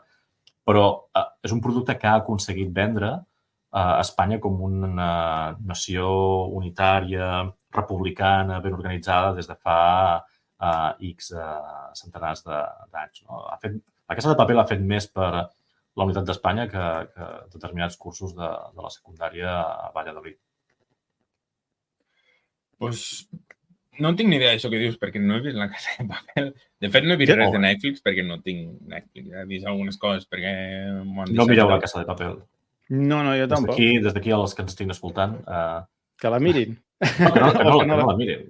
però és un producte que ha aconseguit vendre Espanya com una nació unitària, republicana, ben organitzada des de fa X centenars d'anys. No? La Casa de Papel ha fet més per la unitat d'Espanya que determinats cursos de la secundària a Valladolid. Pues no tinc ni idea d'això que dius, perquè no he vist la Casa de Papel. De fet, no he vist res de Netflix perquè no tinc Netflix. He vist algunes coses perquè... No mireu la Casa de Papel. No, jo tampoc. Des d'aquí als que ens estiguin escoltant... Que la mirin. No, que no la mirin.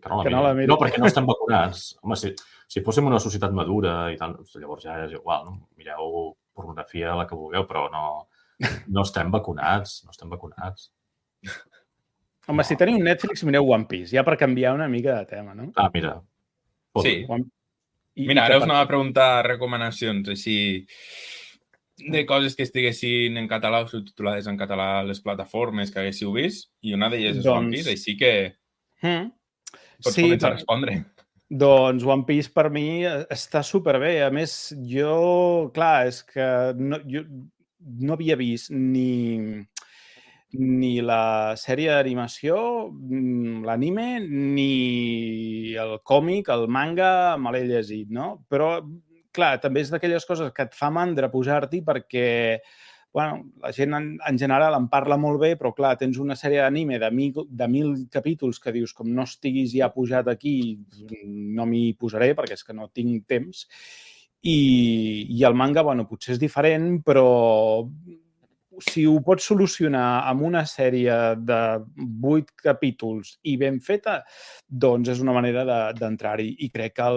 No, perquè no estem vacunats. Home, si fóssim una societat madura i tal, llavors ja és igual, no? Mireu pornografia, la que vulgueu, però no estem vacunats. No estem vacunats. Home, si teniu Netflix, mireu One Piece, ja per canviar una mica de tema, no? Mira. Sí. Mira, ara us anava a preguntar recomanacions, així, de coses que estiguessin en català o subtitulades en català a les plataformes que haguéssiu vist, i una d'elles és One Piece, així que pots començar a respondre. Doncs One Piece per mi està superbé. A més, clar, és que jo no havia vist ni la sèrie d'animació, l'anime, ni el còmic, el manga, me l'he llegit, no? Però, clar, també és d'aquelles coses que et fa mandra posar-t'hi perquè, bueno, la gent en general en parla molt bé, però, clar, tens una sèrie d'anime de 1.000 capítols que dius, com no estiguis ja pujat aquí, no m'hi posaré perquè és que no tinc temps. I el manga, bueno, potser és diferent, però si ho pots solucionar amb una sèrie de 8 capítols i ben feta, doncs és una manera d'entrar-hi. I crec que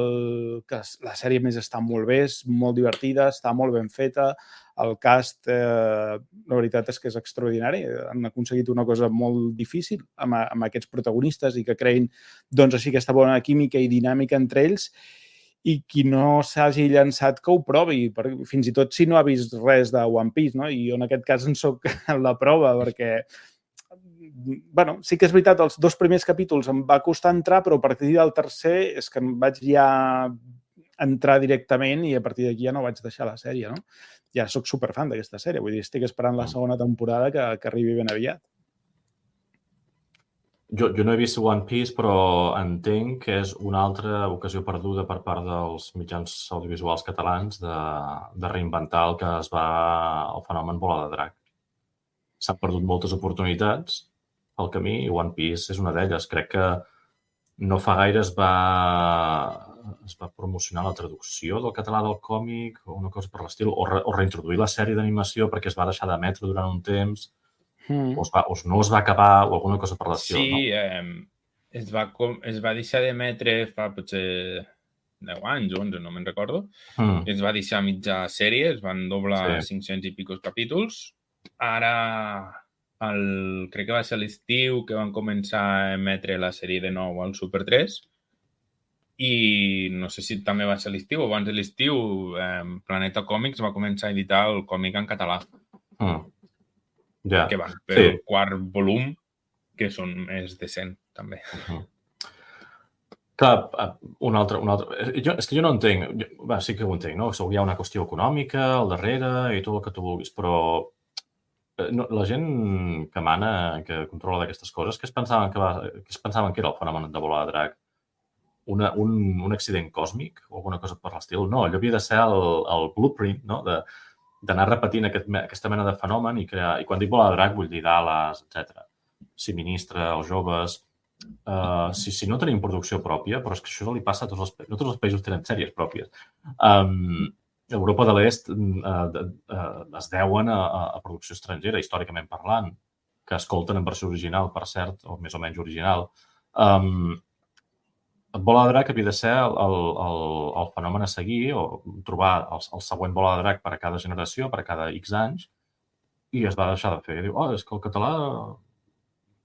la sèrie més està molt bé, és molt divertida, està molt ben feta. El cast, la veritat és que és extraordinari. Han aconseguit una cosa molt difícil amb aquests protagonistes i que creïn, doncs, així aquesta bona química i dinàmica entre ells. I qui no s'hagi llançat que ho provi, fins i tot si no ha vist res de One Piece, no? I jo en aquest cas en soc la prova, perquè, bueno, sí que és veritat, els 2 primers capítols em va costar entrar, però a partir del tercer és que em vaig ja entrar directament i a partir d'aquí ja no vaig deixar la sèrie, no? Ja soc superfan d'aquesta sèrie, vull dir, estic esperant la segona temporada que arribi ben aviat. Jo no he vist One Piece, però entenc que és una altra ocasió perduda per part dels mitjans audiovisuals catalans de reinventar el fenomen bola de drac. S'han perdut moltes oportunitats al camí i One Piece és una d'elles. Crec que no fa gaire es va promocionar la traducció del català del còmic o una cosa per l'estil, o reintroduir la sèrie d'animació perquè es va deixar d'emetre durant un temps. O no es va acabar o alguna cosa per l'estil, no? Sí, es va deixar d'emetre fa potser 10 anys o 11, no me'n recordo. Es va deixar mitja sèrie, es van doblar 500 i picos capítols. Ara, crec que va ser l'estiu que van començar a emetre la sèrie de nou al Super 3 i no sé si també va ser l'estiu o abans de l'estiu Planeta Còmics va començar a editar el còmic en català. Que van per el 4 volum, que són més de 100, també. Clar, un altre... És que jo no entenc. Sí que ho entenc, no? Hi ha una qüestió econòmica al darrere i tot el que tu vulguis, però la gent que mana, que controla d'aquestes coses, què es pensaven que era el fenomen de bola de drac? Un accident còsmic o alguna cosa per l'estil? No, allò havia de ser el blueprint, no?, d'anar repetint aquesta mena de fenomen i crear... I quan dic bola de drac vull dir d'ales, etc. Si ministra, els joves... si no tenim producció pròpia, però és que això li passa a tots els països. No tots els països tenen sèries pròpies. Europa de l'Est es deuen a producció estrangera, històricament parlant, que escolten en versió original, per cert, o més o menys original. Bola de Drac havia de ser el fenomen a seguir o trobar el següent Bola de Drac per a cada generació, per a cada X anys, i es va deixar de fer. Diu, és que el català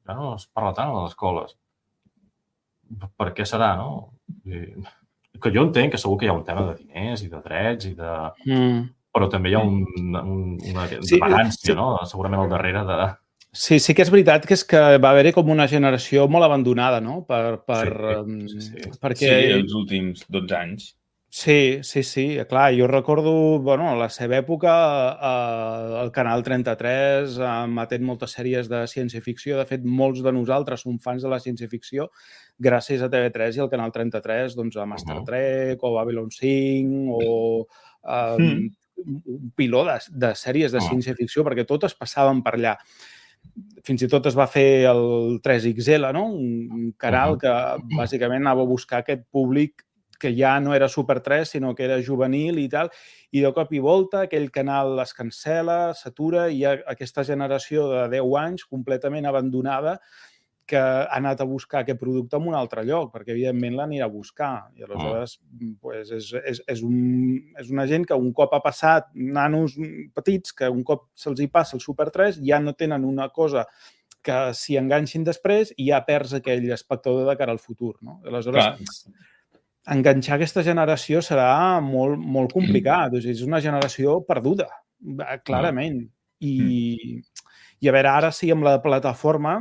ja no es parla tant a les escoles. Per què serà, no? Que jo entenc que segur que hi ha un tema de diners i de drets i de... Però també hi ha una diferència, no? Segurament al darrere de... Sí que és veritat que va haver-hi com una generació molt abandonada, no? Sí, els últims 12 anys. Sí, clar, jo recordo, a la seva època, el Canal 33 emetent moltes sèries de ciència-ficció. De fet, molts de nosaltres som fans de la ciència-ficció gràcies a TV3 i al Canal 33, doncs a Star Trek o Babylon 5 o un piló de sèries de ciència-ficció, perquè totes passaven per allà. Fins i tot es va fer el 3XL, no? Un canal que bàsicament anava a buscar aquest públic que ja no era Super 3, sinó que era juvenil i tal, i de cop i volta aquell canal es cancela, s'atura, i hi ha aquesta generació de 10 anys completament abandonada que ha anat a buscar aquest producte en un altre lloc, perquè evidentment l'anirà a buscar. I aleshores és una gent que un cop ha passat, nanos petits, que un cop se'ls hi passa el Super 3, ja no tenen una cosa que s'hi enganxin després i ja perds aquell espectador de cara al futur, no? Aleshores, enganxar aquesta generació serà molt, molt complicat. És una generació perduda, clarament. I a veure, ara sí, amb la plataforma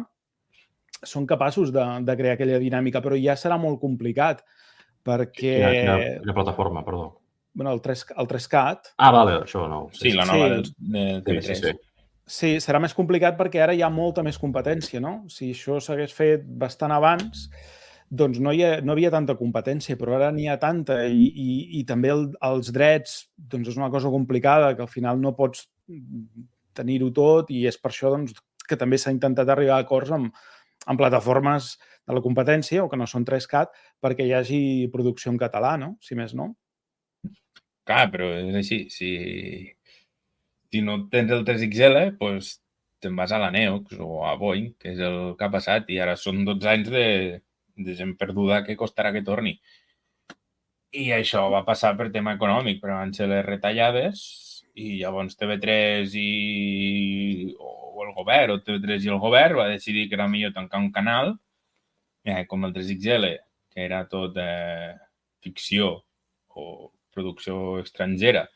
són capaços de crear aquella dinàmica, però ja serà molt complicat, perquè... Quina plataforma, perdó? El 3CAT. Vale, això no. Sí, la nova de TV3. Sí, serà més complicat perquè ara hi ha molta més competència, no? Si això s'hagués fet bastant abans, doncs no hi havia tanta competència, però ara n'hi ha tanta i també els drets doncs és una cosa complicada, que al final no pots tenir-ho tot, i és per això doncs, que també s'ha intentat arribar a acords amb plataformes de la competència o que no són 3CAT perquè hi hagi producció en català, no? Si més no. Clar, però és així. Si no tens el 3XL, doncs te'n vas a la Neox o a Boeing, que és el que ha passat, i ara són 12 anys de gent perduda que costarà que torni. I això va passar per tema econòmic, però van ser les retallades i llavors TV3 o el govern, o TV3 i el govern va decidir que era millor tancar un canal, com el 3XL, que era tot ficció o producció estrangera,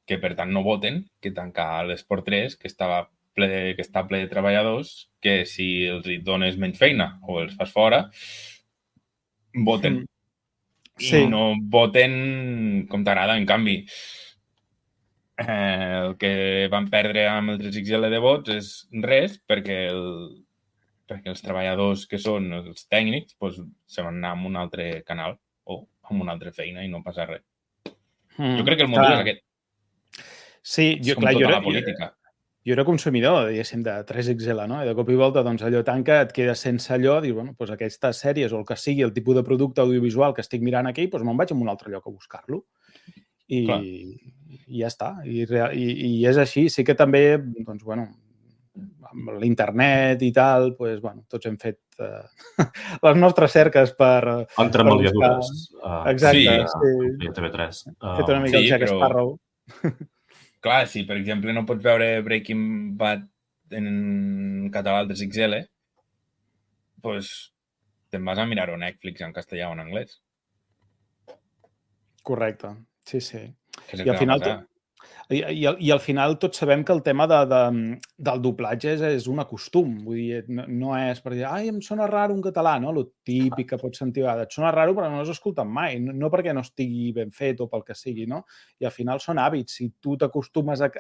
que per tant no voten, que tancar l'Esport 3, que està ple de treballadors, que si els dones menys feina o els fas fora, voten. I no voten com t'agrada. En canvi, el que van perdre amb el 3XL de vots és res, perquè els treballadors que són els tècnics se van anar a un altre canal o amb una altra feina i no passa res. Jo crec que el motiu és aquest. Sí, tota la política. Jo era consumidor, diguéssim, de 3XL, no? I de cop i volta, doncs, allò tanca, et quedes sense allò, dius, doncs aquestes sèries o el que sigui, el tipus de producte audiovisual que estic mirant aquí, doncs me'n vaig a un altre lloc a buscar-lo. I ja està. I és així. Sí que també, doncs, amb l'internet i tal, doncs, tots hem fet les nostres cerques per... Entremaliadures. Exacte. Sí, TV3. Fet una mica el Jack Sparrow. Clar, si per exemple no pots veure Breaking Bad en català al 3XL, doncs te'n vas a mirar-ho a Netflix en castellà o en anglès. Correcte, sí. I al final tots sabem que el tema del doblatge és un acostum. Vull dir, no és per dir, em sona raro un català, no? Lo típic que pots sentir a vegades. Et sona raro però no l'has escoltat mai. No perquè no estigui ben fet o pel que sigui, no? I al final són hàbits. Si tu t'acostumes a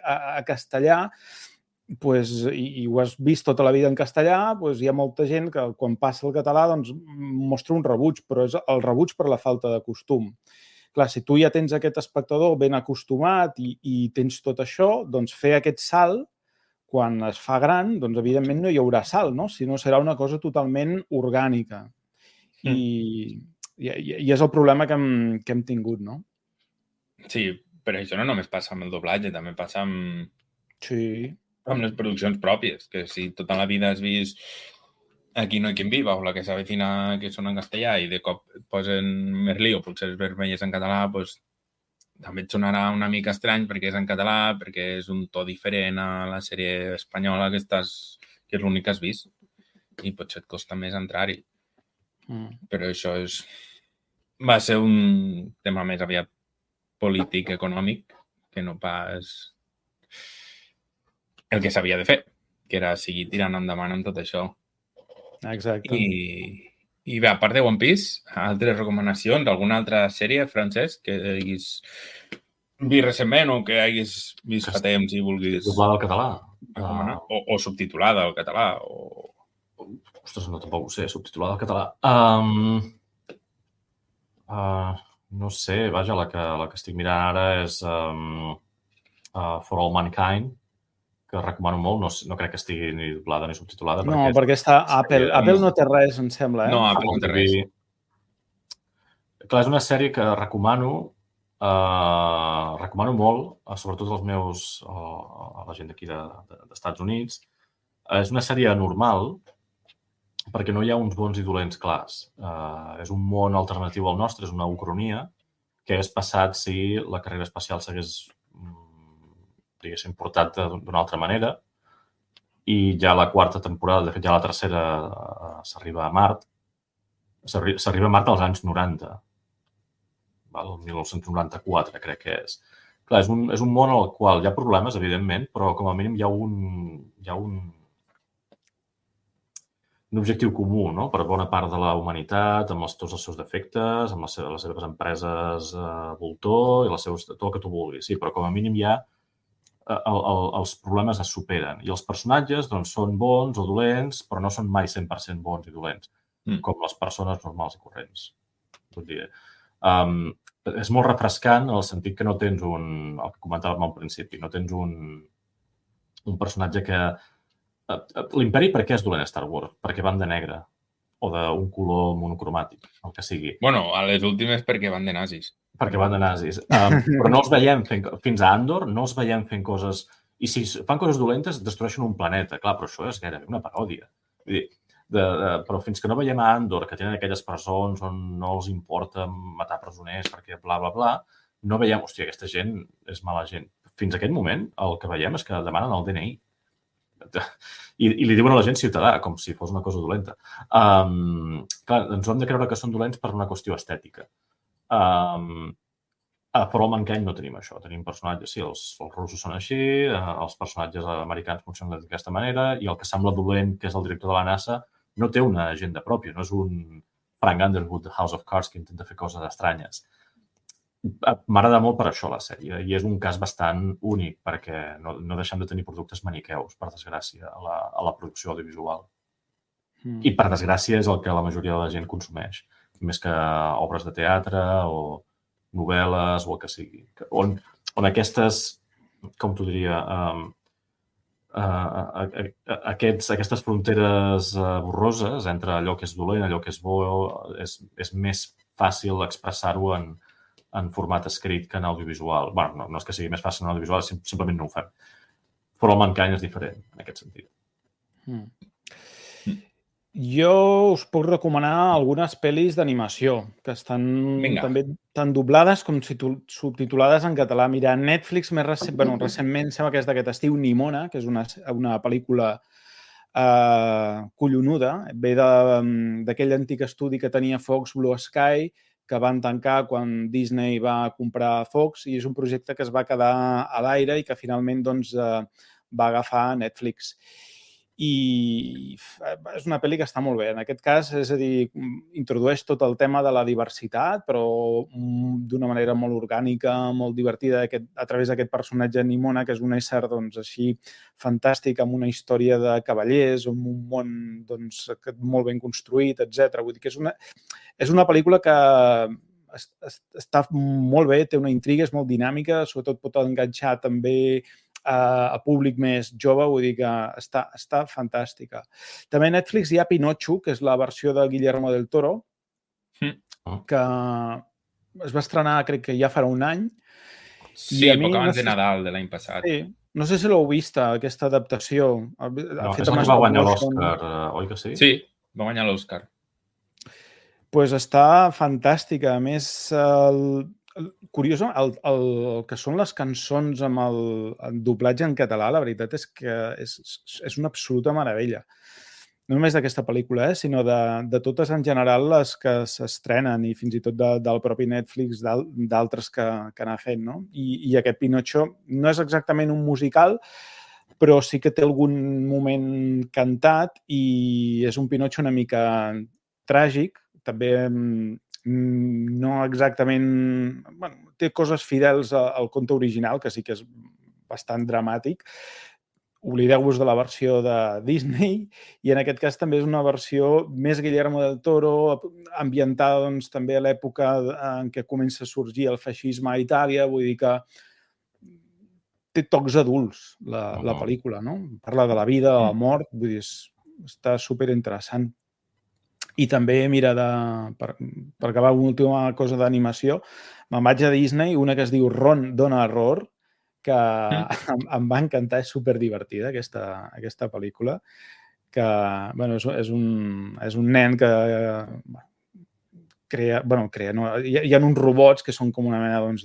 castellà i ho has vist tota la vida en castellà, hi ha molta gent que quan passa el català mostra un rebuig, però és el rebuig per la falta de costum. Clar, si tu ja tens aquest espectador ben acostumat i tens tot això, doncs fer aquest salt, quan es fa gran, doncs evidentment no hi haurà salt, no? Sinó serà una cosa totalment orgànica. i és el problema que hem tingut, no? Sí, però això no només passa amb el doblatge, també passa amb les produccions pròpies, que si tota la vida has vist Aquí no hay quien viva o la que s'avecina que són en castellà i de cop posen Merlí o Pulseres vermelles en català, doncs també et sonarà una mica estrany perquè és en català, perquè és un to diferent a la sèrie espanyola que és l'únic que has vist i potser et costa més entrar-hi. Però això va ser un tema més aviat polític, econòmic, que no pas el que s'havia de fer, que era seguir tirant endavant amb tot això. Exacte. I bé, a part de One Piece, altres recomanacions, alguna altra sèrie, Francesc, que haguis vist recentment o que haguis vist fa temps i vulguis... Doblada al català. Recomanar? O subtitulada al català. Ostres, no, tampoc ho sé, subtitulada al català. No sé, vaja, la que estic mirant ara és For All Mankind, que recomano molt, no crec que estigui ni doblada ni subtitulada. No, perquè està Apple. Apple no té res, em sembla, No, Apple no té res. Clar, és una sèrie que recomano molt, sobretot als meus, a la gent d'aquí d'Estats Units. És una sèrie normal, perquè no hi ha uns bons i dolents clars. És un món alternatiu al nostre, és una ucronia que hagués passat si la carrera espacial s'hagués diguéssim, portat d'una altra manera. I ja la quarta temporada, de fet ja la tercera, s'arriba a Mart. S'arriba a Mart als anys 90. El 1994, crec que és. Clar, és un món al qual hi ha problemes, evidentment, però com a mínim hi ha un objectiu comú, no?, per bona part de la humanitat, amb tots els seus defectes, amb les seves empreses voltor i tot el que tu vulguis. Sí, però com a mínim hi ha els problemes es superen. I els personatges doncs, són bons o dolents, però no són mai 100% bons i dolents, com les persones normals i corrents. Vull dir, és molt refrescant en el sentit que no tens el que comentàvem al principi, no tens un personatge que... L'Imperi per què és dolent a Star Wars? Perquè van de negre o d'un color monocromàtic, el que sigui. Bueno, a les últimes perquè van de nazis. Perquè van de nazis. Però no els veiem fins a Andor, no els veiem fent coses... I si fan coses dolentes, destrueixen un planeta. Clar, però això és gairebé una paròdia. Vull dir, però fins que no veiem a Andor, que tenen aquelles presons on no els importa matar presoners perquè bla, bla, bla, no veiem, hòstia, aquesta gent és mala gent. Fins a aquest moment, el que veiem és que demanen el DNI. I li diuen a la gent ciutadà, com si fos una cosa dolenta. Clar, ens ho hem de creure que són dolents per una qüestió estètica. Però al Mankind no tenim això. Tenim personatges, sí, els russos són així, els personatges americans funcionen d'aquesta manera, i el que sembla dolent, que és el director de la NASA, no té una agenda pròpia, no és un Frank Underwood de House of Cards que intenta fer coses estranyes. M'agrada molt per això la sèrie, i és un cas bastant únic, perquè no deixem de tenir productes maniqueus, per desgràcia, a la producció audiovisual. I per desgràcia és el que la majoria de la gent consumeix, més que obres de teatre o novel·les o el que sigui. On aquestes, com t'ho diria, aquestes fronteres borroses entre allò que és dolent, allò que és bo, és més fàcil expressar-ho en format escrit que en audiovisual. Bé, no és que sigui més fàcil en audiovisual, simplement no ho fem. Però el Mankind és diferent, en aquest sentit. Jo us puc recomanar algunes pel·lis d'animació que estan també tant doblades com subtitulades en català. Mira, Netflix recentment sembla que és d'aquest estiu, Nimona, que és una pel·lícula collonuda. Ve d'aquell antic estudi que tenia Fox, Blue Sky, que van tancar quan Disney va comprar Fox, i és un projecte que es va quedar a l'aire i que finalment va agafar Netflix. I és una pel·li que està molt bé. En aquest cas, és a dir, introdueix tot el tema de la diversitat, però d'una manera molt orgànica, molt divertida, a través d'aquest personatge Nimona, que és un ésser així fantàstic, amb una història de cavallers, amb un món molt ben construït, etc. Vull dir que és una pel·lícula que està molt bé, té una intriga, és molt dinàmica, sobretot pot enganxar també a públic més jove, vull dir que està fantàstica. També a Netflix hi ha Pinocho, que és la versió de Guillermo del Toro, que es va estrenar, crec que ja farà un any. Sí, poc abans de Nadal de l'any passat. Sí, no sé si l'heu vist, aquesta adaptació. No, és el que va guanyar l'Oscar, oi que sí? Sí, va guanyar l'Oscar. Pues està fantàstica. A més, curiós, el que són les cançons amb el doblatge en català, la veritat és que és una absoluta meravella. No només d'aquesta pel·lícula, sinó de totes en general les que s'estrenen i fins i tot del propi Netflix, d'altres que n'ha fet, no? I aquest Pinocho no és exactament un musical, però sí que té algun moment cantat i és un Pinocho una mica tràgic, també no exactament... Bueno, té coses fidels al conte original, que sí que és bastant dramàtic. Oblideu-vos de la versió de Disney i en aquest cas també és una versió més Guillermo del Toro, ambientada doncs, també a l'època en què comença a sorgir el feixisme a Itàlia, vull dir que té tocs adults la pel·lícula, no? Parla de la vida, de la mort, vull dir, està superinteressant. I també, mira, per acabar una última cosa d'animació, me'n vaig a Disney, una que es diu Ron Dona Error, que em va encantar, és superdivertida aquesta pel·lícula, que bueno, és un nen que crea, no, hi ha uns robots que són com una mena doncs,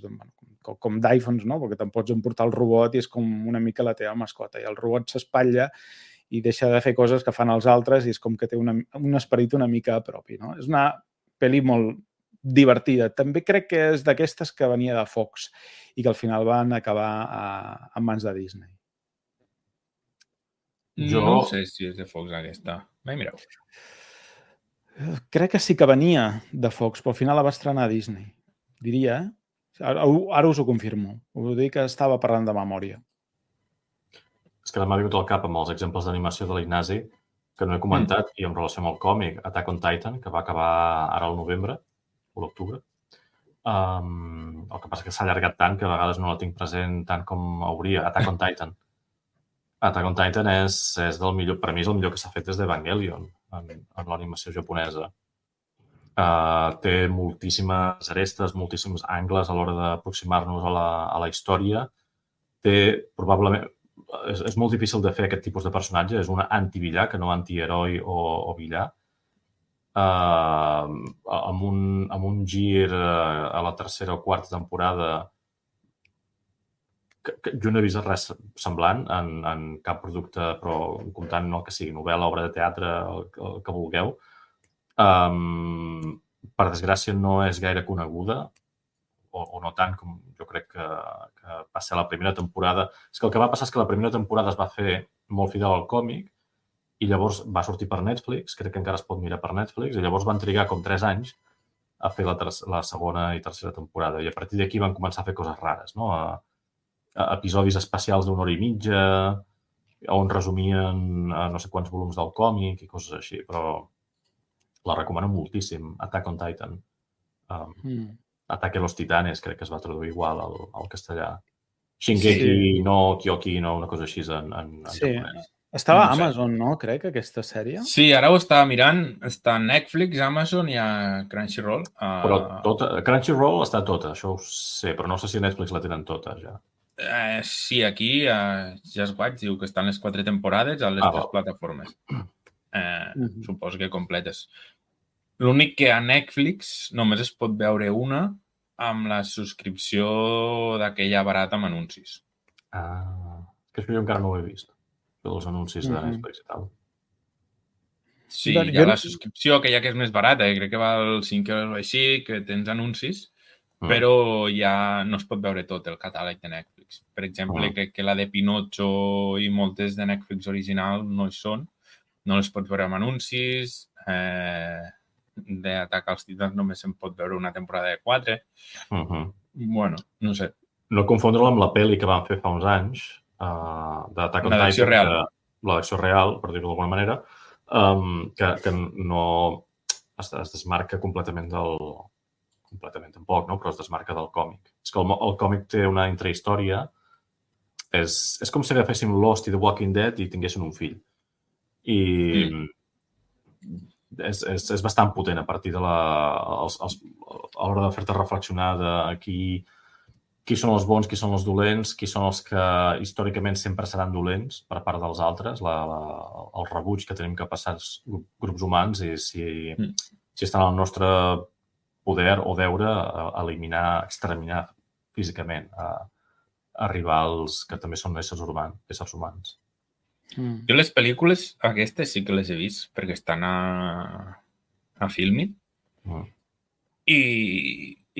com d'iPhones, no? Perquè te'n pots emportar el robot i és com una mica la teva mascota, i el robot s'espatlla i deixa de fer coses que fan els altres i és com que té un esperit una mica propi, no? És una pel·li molt divertida. També crec que és d'aquestes que venia de Fox i que al final van acabar en mans de Disney. No sé si és de Fox aquesta. Mai mireu. Crec que sí que venia de Fox, però al final la va estrenar a Disney. Diria, Ara us ho confirmo. Us dic que estava parlant de memòria. És que m'ha vingut al cap amb els exemples d'animació de l'Ignasi, que no he comentat, i en relació amb el còmic Attack on Titan, que va acabar ara al novembre o l'octubre. El que passa que s'ha allargat tant que a vegades no la tinc present tant com hauria. Attack on Titan. Attack on Titan és del millor, per mi és el millor que s'ha fet des d'Evangelion en l'animació japonesa. Té moltíssimes arestes, moltíssims angles a l'hora d'aproximar-nos a la història. Probablement, és molt difícil de fer aquest tipus de personatge, és un antivillà que no antiheroi o villà. Amb un gir a la tercera o quarta temporada que jo no he vist res semblant en cap producte, però comptant el que sigui novel·la, obra de teatre, el que vulgueu. Per desgràcia no és gaire coneguda, o no tant com jo crec que va ser la primera temporada. És que el que va passar és que la primera temporada es va fer molt fidel al còmic i llavors va sortir per Netflix, crec que encara es pot mirar per Netflix, i llavors van trigar com 3 anys a fer la segona i tercera temporada. I a partir d'aquí van començar a fer coses rares, no? Episodis especials d'1 hora i mitja, on resumien no sé quants volums del còmic i coses així, però la recomano moltíssim, Attack on Titan. Ataque a los Titanes, crec que es va traduir igual al castellà. Shingeki no Kyoki, no, una cosa així en japonès. Estava a Amazon, no? Crec, aquesta sèrie. Sí, ara ho estava mirant. Està a Netflix, Amazon i a Crunchyroll. Però Crunchyroll està tota, això ho sé, però no sé si a Netflix la tenen tota, ja. Sí, aquí Just Watch diu que estan les 4 temporades a les 3 plataformes. Suposo que completes. L'únic que a Netflix només es pot veure una amb la subscripció d'aquella barata amb anuncis. Que això jo encara no ho he vist. Els anuncis de Netflix i tal. Sí, hi ha la subscripció, aquella que és més barata, crec que val 5 euros o així, que tens anuncis, però ja no es pot veure tot el catàleg de Netflix. Per exemple, crec que la de Pinocho i moltes de Netflix original no hi són. No les pots veure amb anuncis. d'Atac als Titans només se'n pot veure una temporada de 4. Bueno, no sé. No confondre-la amb la pel·li que van fer fa uns anys, d'Atac on Titan. L'adaptació real. L'adaptació real, per dir-ho d'alguna manera, que no es desmarca completament tampoc, no? Però es desmarca del còmic. És que el còmic té una intrahistòria. És com si agaféssim Lost i The Walking Dead i tinguessin un fill. I és bastant potent a partir de a l'hora de fer-te reflexionar de qui són els bons, qui són els dolents, qui són els que històricament sempre seran dolents per part dels altres, el rebuig que tenim que passar els grups humans i si estan al nostre poder o deure eliminar, exterminar físicament a rivals que també són éssers humans. Jo les pel·lícules aquestes sí que les he vist perquè estan a Filmin i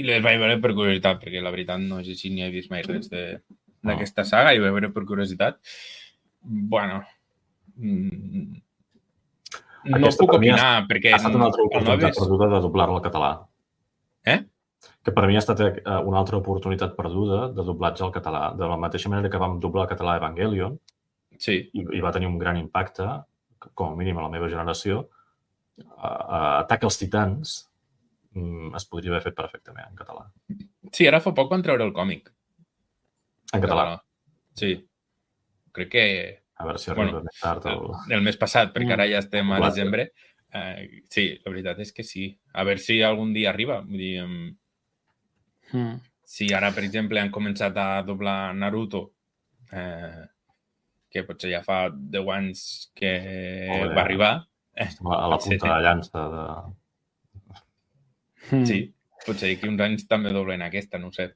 les vaig veure per curiositat perquè la veritat no sé si ni he vist mai res d'aquesta saga i vaig veure per curiositat. Bueno, no puc opinar perquè... Ha estat una altra oportunitat perduda de doblar-la al català. Que per mi ha estat una altra oportunitat perduda de doblatge al català. De la mateixa manera que vam doblar al català Evangelion, i va tenir un gran impacte, com a mínim a la meva generació, Atac als Titans es podria haver fet perfectament en català. Sí, ara fa poc van treure el còmic. En català? Sí. Crec que... A veure si arriba més tard. El mes passat, perquè ara ja estem a desembre. Sí, la veritat és que sí. A veure si algun dia arriba. Vull dir, si ara, per exemple, han començat a doblar Naruto, que potser ja fa 10 anys que va arribar. A la punta de la llança de... Sí, potser aquí uns anys també doblen aquesta, no ho sé.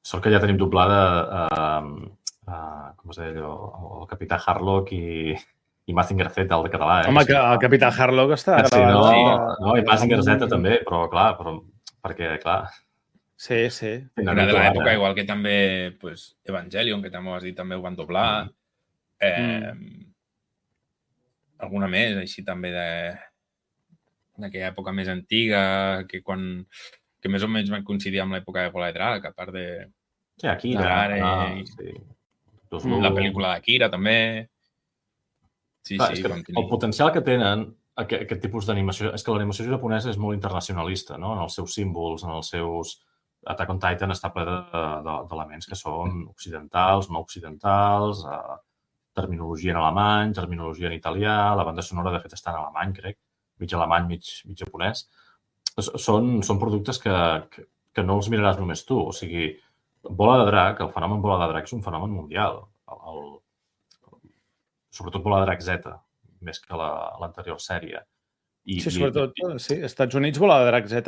Sort que ja tenim doblada com es deia allò, el Capità Harlock i Mazinger Z, el de català. Home, que el Capità Harlock està... No, i Mazinger Z també, però clar, perquè, clar... Sí. Era de l'època, igual que també Evangelion, que també ho has dit, també ho van doblar. Alguna més, així també d'aquella època més antiga, que més o menys van coincidir amb l'època de Bola de Drac, a part de... Sí, Akira. La pel·lícula d'Akira, també. Sí, el potencial que tenen aquest tipus d'animació... És que l'animació japonesa és molt internacionalista, no? En els seus símbols, en els seus... Attack on Titan està ple d'elements que són occidentals, no occidentals, terminologia en alemany, terminologia en italià, la banda sonora, de fet, està en alemany, crec, mig alemany, mig japonès. Són productes que no els miraràs només tu. O sigui, Bola de Drac, el fenomen Bola de Drac és un fenomen mundial. Sobretot Bola de Drac Z, més que l'anterior sèrie. Sí, sobretot, sí. Als Estats Units, Bola de Drac Z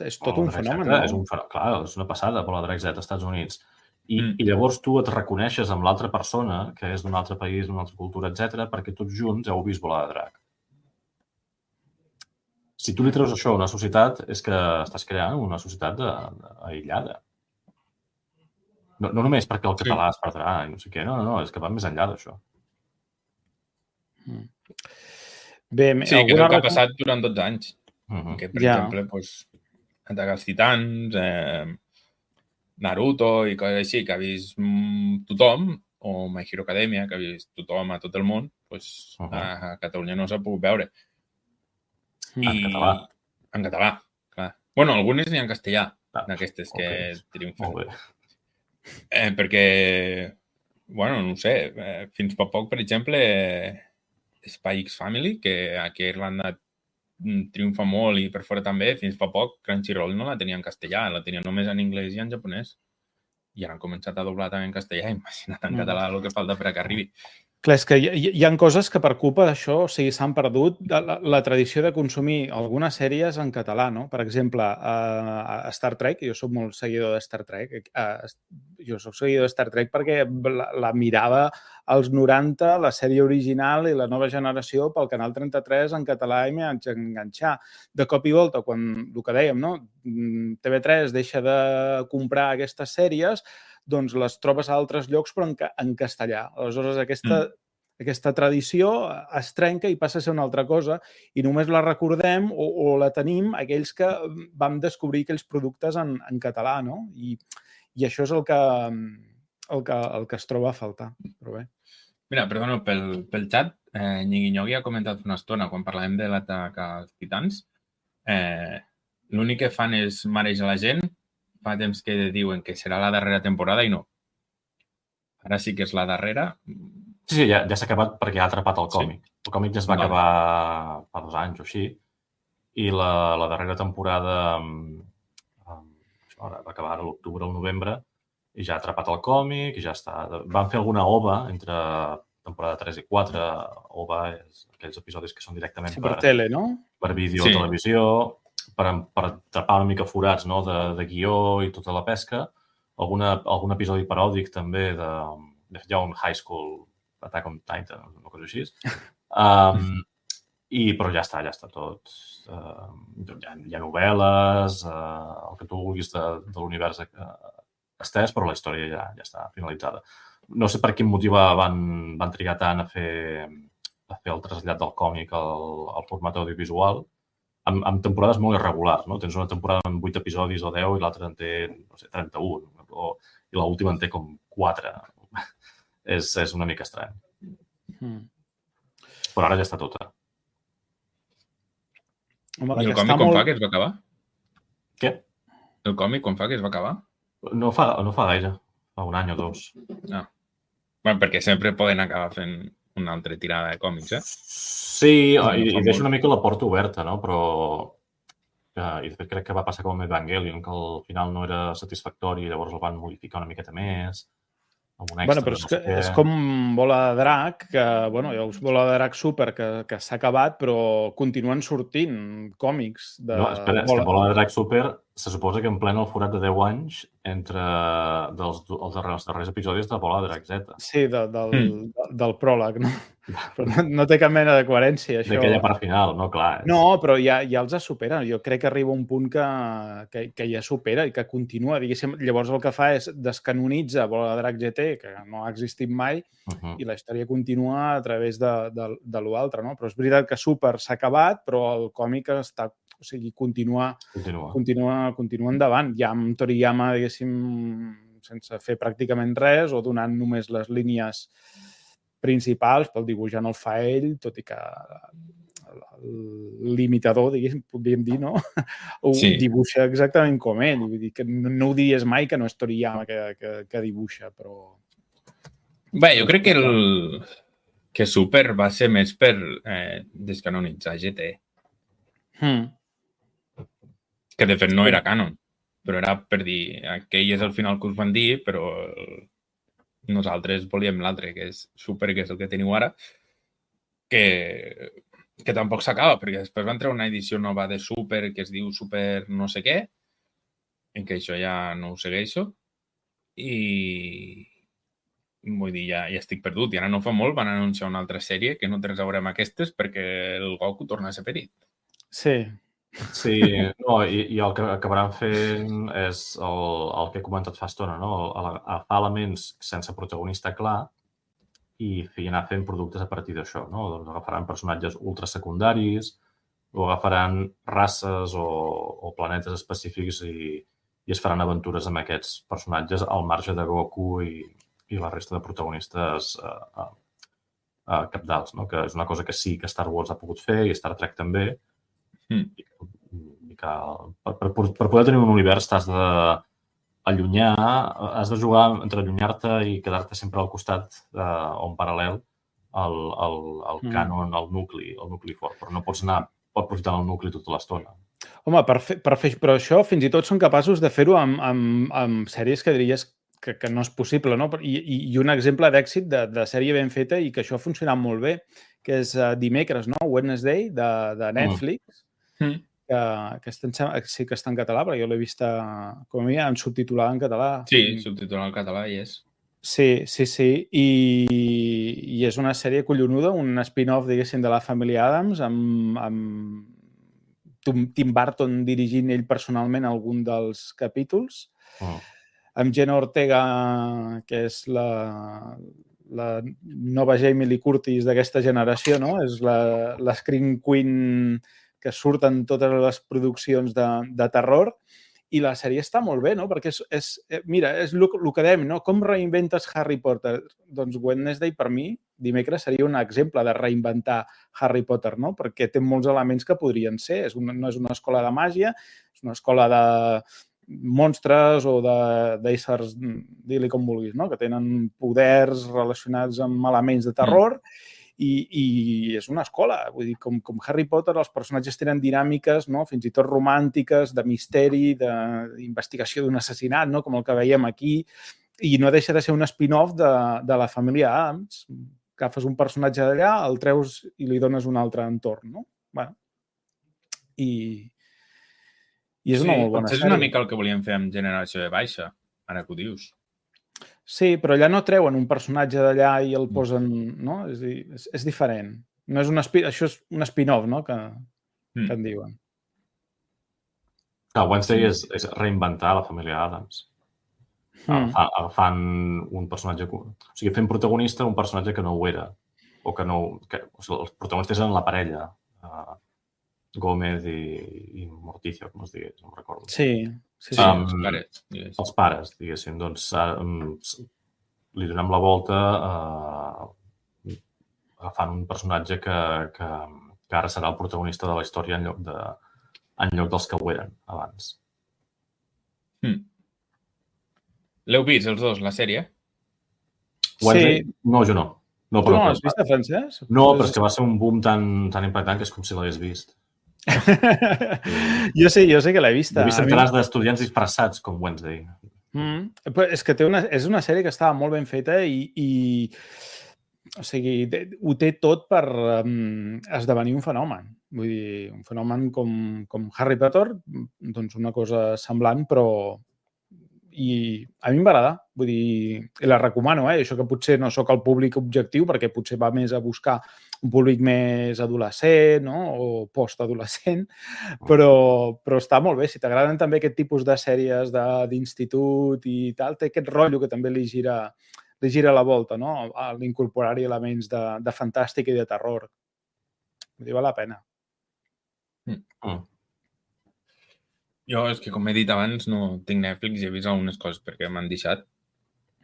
és tot un fenomen. Clar, és una passada, Bola de Drac Z als Estats Units. I llavors tu et reconeixes amb l'altra persona, que és d'un altre país, d'una altra cultura, etc, perquè tots junts heu vist Bola de Drac. Si tu li treus això a una societat, és que estàs creant una societat aïllada. No només perquè el català es perdrà i no sé què, no, és que va més enllà d'això. Bé, sí, que és el que ha passat durant 12 anys. Que, per exemple, Atac als Titans, Naruto i coses així, que ha vist tothom, o My Hero Academia, que ha vist tothom a tot el món, a Catalunya no s'ha pogut veure. En català, clar. Bueno, algunes n'hi ha en castellà, d'aquestes que triomfen. Molt bé. Perquè, bueno, no ho sé, fins fa poc, per exemple, Spy X Family, que aquí a Irlanda triomfa molt i per fora també, fins fa poc Crunchyroll no la tenia en castellà, la tenia només en anglès i en japonès. I ara han començat a doblar també en castellà, imagina't en català el que falta per que arribi. Clar, és que hi ha coses que per culpa d'això s'han perdut la tradició de consumir algunes sèries en català, no? Per exemple, a Star Trek, jo soc molt seguidor de Star Trek, jo soc seguidor de Star Trek perquè la mirava als 90, la sèrie original i la nova generació pel Canal 33 en català i m'hi vaig enganxar. De cop i volta, quan el que dèiem, no? TV3 deixa de comprar aquestes sèries, doncs les trobes a altres llocs però en castellà. Aleshores, aquesta tradició es trenca i passa a ser una altra cosa i només la recordem o la tenim aquells que vam descobrir aquells productes en català, no? I això és el que es troba a faltar. Però bé. Mira, perdona, pel xat, Nyigui ha comentat una estona, quan parlàvem de l'atac als titans, l'únic que fan és marejar la gent. Fa temps que diuen que serà la darrera temporada i no. Ara sí que és la darrera. Sí, ja s'ha acabat perquè ha atrapat el còmic. El còmic ja es va acabar fa 2 anys o així, i la darrera temporada va acabar a l'octubre o el novembre, i ja ha atrapat el còmic, i ja està. Van fer alguna OVA entre temporada 3 i 4. OVA és aquells episodis que són directament per tele, no? Per vídeo o televisió, per atrapar una mica forats, no? De guió i tota la pesca. Algun episodi paròdic també de Young High School, Attack on Titan, una cosa així. Però ja està tot. Hi ha novel·les, el que tu vulguis de l'univers estès, però la història ja està finalitzada. No sé per quin motiu van trigar tant a fer el trasllat del còmic al format audiovisual, amb temporades molt irregulars, no? Tens una temporada amb 8 episodis o 10 i l'altra en té, no sé, 31, i l'última en té com 4. És una mica estrany. Però ara ja està tota. I el còmic quan fa que es va acabar? Què? El còmic quan fa que es va acabar? No fa gaire, fa 1 any o 2. Bueno, perquè sempre poden acabar fent una altra tirada de còmics, Sí, i deixo una mica la porta oberta, no? Però i de fet crec que va passar com amb Evangelion, que al final no era satisfactori i llavors el van modificar una miqueta més. Bueno, però és com Bola de Drac, que, bueno, hi ha Bola de Drac Super que s'ha acabat, però continuen sortint còmics de... No, espera, és que Bola de Drac Super se suposa que en plena el forat de 10 anys entre els darrers episodis de Bola de Drac Z. Sí, del pròleg, no? Però no té cap mena de coherència, això. D'aquella part final, no? Clar. No, però ja els supera. Jo crec que arriba un punt que ja supera i que continua. Diguéssim, llavors el que fa és descanonitza Bola de Drac GT, que no ha existit mai, i la història continua a través de l'altre, no? Però és veritat que Super s'ha acabat, però el còmic està... O sigui, continua endavant. Ja amb Toriyama, diguéssim, sense fer pràcticament res o donant només les línies principals, pel dibuix ja no el fa ell, tot i que l'imitador, diguéssim, podríem dir, no? Ho dibuixa exactament com ell. Vull dir que no ho diries mai que no és Toriyama que dibuixa, però... Bé, jo crec que Super va ser més per descanonitzar GT. Que de fet no era canon, però era per dir aquell és el final que us van dir, però nosaltres volíem l'altre, que és Super, que és el que teniu ara, que tampoc s'acaba, perquè després van treure una edició nova de Super que es diu Super no sé què, en què això ja no ho segueixo, i vull dir, ja estic perdut. I ara no fa molt van anunciar una altra sèrie que no té res a veure amb aquestes perquè el Goku torna a ser perit. Sí. Sí, no, i el que acabaran fent és el que he comentat fa estona, no? Agafar elements sense protagonista clar i anar fent productes a partir d'això, no? Doncs agafaran personatges ultrasecundaris o agafaran races o planetes específics i es faran aventures amb aquests personatges al marge de Goku i la resta de protagonistes cabdals, no? Que és una cosa que sí que Star Wars ha pogut fer i Star Trek també. Per poder tenir un univers t'has d'allunyar, has de jugar entre allunyar-te i quedar-te sempre al costat o en paral·lel al canon, al nucli fort, però no pots anar aprofitant el nucli tota l'estona. Home, però això fins i tot són capaços de fer-ho amb sèries que diries que no és possible, no? I un exemple d'èxit de sèrie ben feta i que això ha funcionat molt bé, que és Dimecres, no? Wednesday, de Netflix, que sí que està en català, però jo l'he vist com a mi subtitulada en català. Sí, subtitulada en català hi és. Sí. I és una sèrie collonuda, un spin-off, diguéssim, de la família Addams, amb Tim Burton dirigint ell personalment algun dels capítols, amb Jenna Ortega, que és la nova Jamie Lee Curtis d'aquesta generació, no? És la Scream Queen que surten totes les produccions de terror, i la sèrie està molt bé, no? Perquè mira, és el que dèiem, no? Com reinventes Harry Potter? Doncs Wednesday, per mi, Dimecres seria un exemple de reinventar Harry Potter, no? Perquè té molts elements que podrien ser. No és una escola de màgia, és una escola monstres o d'éssers, digue-li com vulguis, no? Que tenen poders relacionats amb elements de terror i és una escola. Vull dir, com Harry Potter, els personatges tenen dinàmiques, no? Fins i tot romàntiques, de misteri, d'investigació d'un assassinat, no? Com el que veiem aquí, i no deixa de ser un spin-off de la família Addams. Agafes un personatge d'allà, el treus i li dones un altre entorn, no? Bueno, i és una molt bona sèrie. És una mica el que volíem fer amb Generació de Baixa, ara que ho dius. Sí, però allà no treuen un personatge d'allà i el posen, no? És a dir, és diferent. No és això és un spin-off, no?, que en diuen. Wednesday és reinventar la família Addams. Agafant un personatge... O sigui, fent protagonista un personatge que no ho era. O sigui, els protagonistes eren la parella. Gómez i Morticia, com es digués, no em recordo. Sí. Els pares. Els pares, diguéssim. Doncs li donem la volta agafant un personatge que ara serà el protagonista de la història en lloc dels que ho eren abans. L'heu vist, els dos, la sèrie? Sí. No, jo no. Tu no l'has vist, Francesc? No, però és que va ser un boom tan impactant que és com si l'hagués vist. Jo sé que l'he vista. He vist centenars d'estudiants disfressats com Wednesday. És que és una sèrie que estava molt ben feta i o sigui, ho té tot per esdevenir un fenomen. Vull dir, un fenomen com Harry Potter, doncs una cosa semblant, però i a mi em va agradar, vull dir, i la recomano, això que potser no sóc el públic objectiu, perquè potser va més a buscar un públic més adolescent, no?, o postadolescent, però està molt bé. Si t'agraden també aquest tipus de sèries d'institut i tal, té aquest rotllo que també li gira la volta, no?, a l'incorporar-hi elements de fantàstic i de terror. Vull dir, val la pena. Jo, és que, com he dit abans, no tinc Netflix i he vist algunes coses perquè m'han deixat.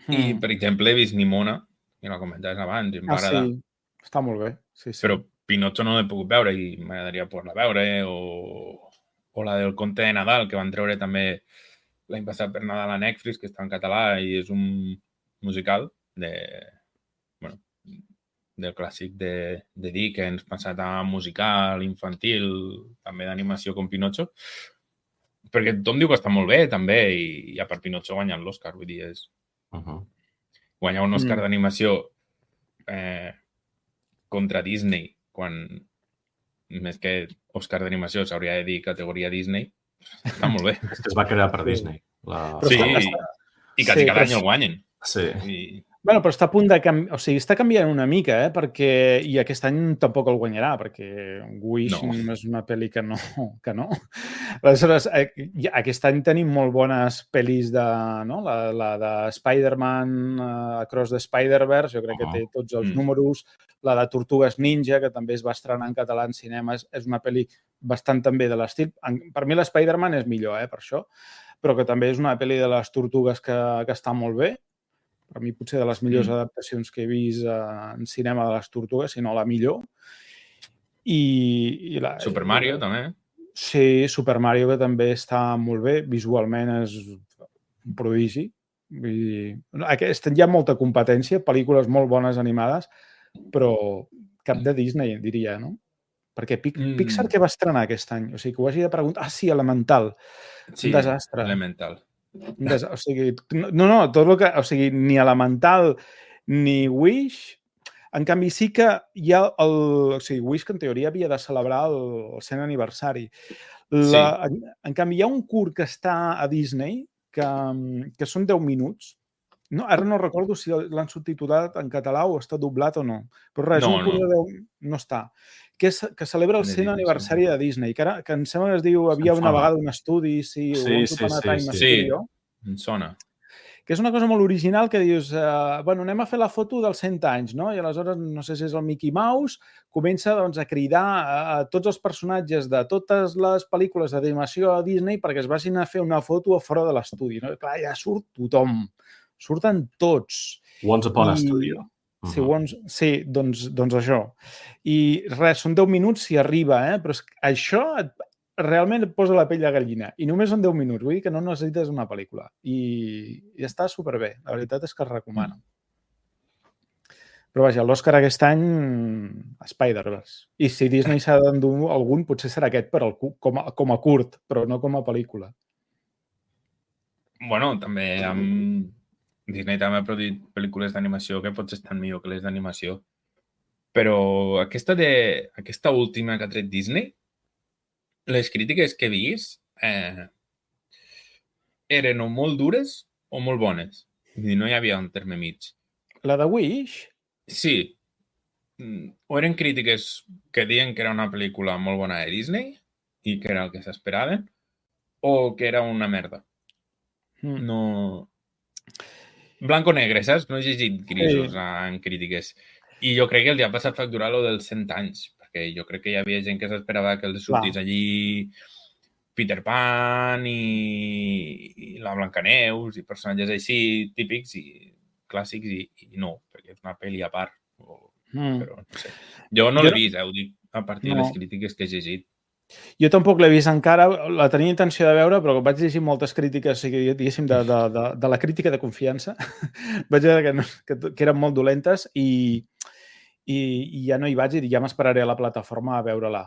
I, per exemple, he vist Nimona, que la comentaves abans, i em va agradar. Sí, està molt bé. Sí. Però Pinocho no l'he pogut veure i m'agradaria poder-la veure. O la del Conte de Nadal, que van treure també l'any passat per Nadal a Netflix, que està en català i és un musical del clàssic de Dickens, passat a musical, infantil, també d'animació com Pinocho. Perquè tothom diu que està molt bé, també, i a part Pinocho guanyant l'Òscar, vull dir, és... Guanyar un Òscar d'animació contra Disney, quan més que Òscar d'animació s'hauria de dir categoria Disney, està molt bé. És que es va crear per Disney. Sí, i quasi cada any el guanyen. Sí. Bueno, però està a punt de canviar, o sigui, està canviant una mica, perquè i aquest any tampoc el guanyarà, perquè Wish no és una pel·li que no. Aleshores, aquest any tenim molt bones pel·lis la de Spider-Man, Across the Spider-Verse, jo crec que té tots els números, la de Tortugues Ninja, que també es va estrenar en català en cinemes, és una pel·li bastant també de l'estil. Per mi l'Spider-Man és millor, per això, però que també és una pel·li de les Tortugues que està molt bé. Per mi potser de les millors adaptacions que he vist en cinema de les Tortugues, si no la millor. Super Mario, també. Sí, Super Mario, que també està molt bé. Visualment és un prodigi. Hi ha molta competència, pel·lícules molt bones animades, però cap de Disney, diria, no? Perquè Pixar què va estrenar aquest any? O sigui, que ho hagi de preguntar... Ah, sí, Elemental. Un desastre. Elemental. O sigui, tot el que... O sigui, ni Elemental ni Wish. En canvi, sí que hi ha o sigui, Wish, que en teoria havia de celebrar el 100 aniversari. En canvi, hi ha un curt que està a Disney que són 10 minuts. Ara no recordo si l'han subtitulat en català o està doblat o no. Però res, un curt de 10... No està. Que celebra el 100 aniversari de Disney, que em sembla que es diu Havia una vegada un estudi, Sí, em sona. Que és una cosa molt original que dius, anem a fer la foto dels 100 anys, no? I aleshores, no sé si és el Mickey Mouse, comença a cridar a tots els personatges de totes les pel·lícules d'animació a Disney perquè es vagin a fer una foto a fora de l'estudi. Clar, ja surt tothom. Surten tots. Once Upon a Studio. Sí, doncs això. I res, són 10 minuts si arriba, però això realment et posa la pell de gallina. I només són 10 minuts, vull dir que no necessites una pel·lícula. I està superbé. La veritat és que es recomana. Però vaja, l'Òscar aquest any, Spider-Verse. I si Disney s'ha d'endur algun, potser serà aquest com a curt, però no com a pel·lícula. Bueno, també Disney també ha produït pel·lícules d'animació que potser estan millor que les d'animació. Però aquesta última que ha tret Disney, les crítiques que he vist eren o molt dures o molt bones. I no hi havia un terme mig. La de Wish? Sí. O eren crítiques que diuen que era una pel·lícula molt bona de Disney i que era el que s'esperaven, o que era una merda. No... Blanco-negre, saps? No he llegit grisos en crítiques. I jo crec que els ha passat facturar lo dels 100 anys, perquè jo crec que hi havia gent que s'esperava que els sortís allí Peter Pan i la Blancaneus i personatges així típics i clàssics i no, perquè és una pel·li a part. Però no sé. Jo no l'he vist, ho dic a partir de les crítiques que he llegit. Jo tampoc l'he vist encara, la tenia intenció de veure, però vaig llegir moltes crítiques, diguéssim, de la crítica de confiança. Vaig veure que eren molt dolentes i ja no hi vaig i ja m'esperaré a la plataforma a veure-la.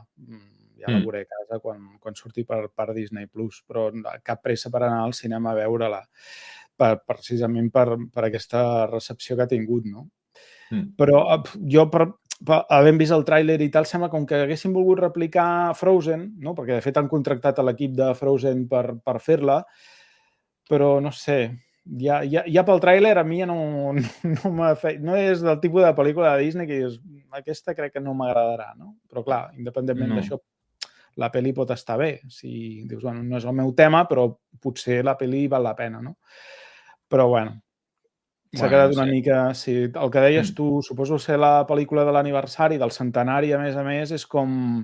Ja la veuré a casa quan surti per Disney+, però cap pressa per anar al cinema a veure-la, precisament per aquesta recepció que ha tingut, no? Però jo, havent vist el tràiler i tal, sembla com que haguessin volgut replicar Frozen, no? Perquè de fet han contractat a l'equip de Frozen per fer-la, però no sé, ja pel tràiler a mi ja no m'ha fet... No és del tipus de pel·lícula de Disney que dius, aquesta crec que no m'agradarà, no? Però clar, independentment d'això, la pel·li pot estar bé. Si dius, bueno, no és el meu tema, però potser la pel·li val la pena, no? Però bueno, s'ha quedat una mica... Sí, el que deies tu, suposo ser la pel·lícula de l'aniversari, del centenari, a més, és com...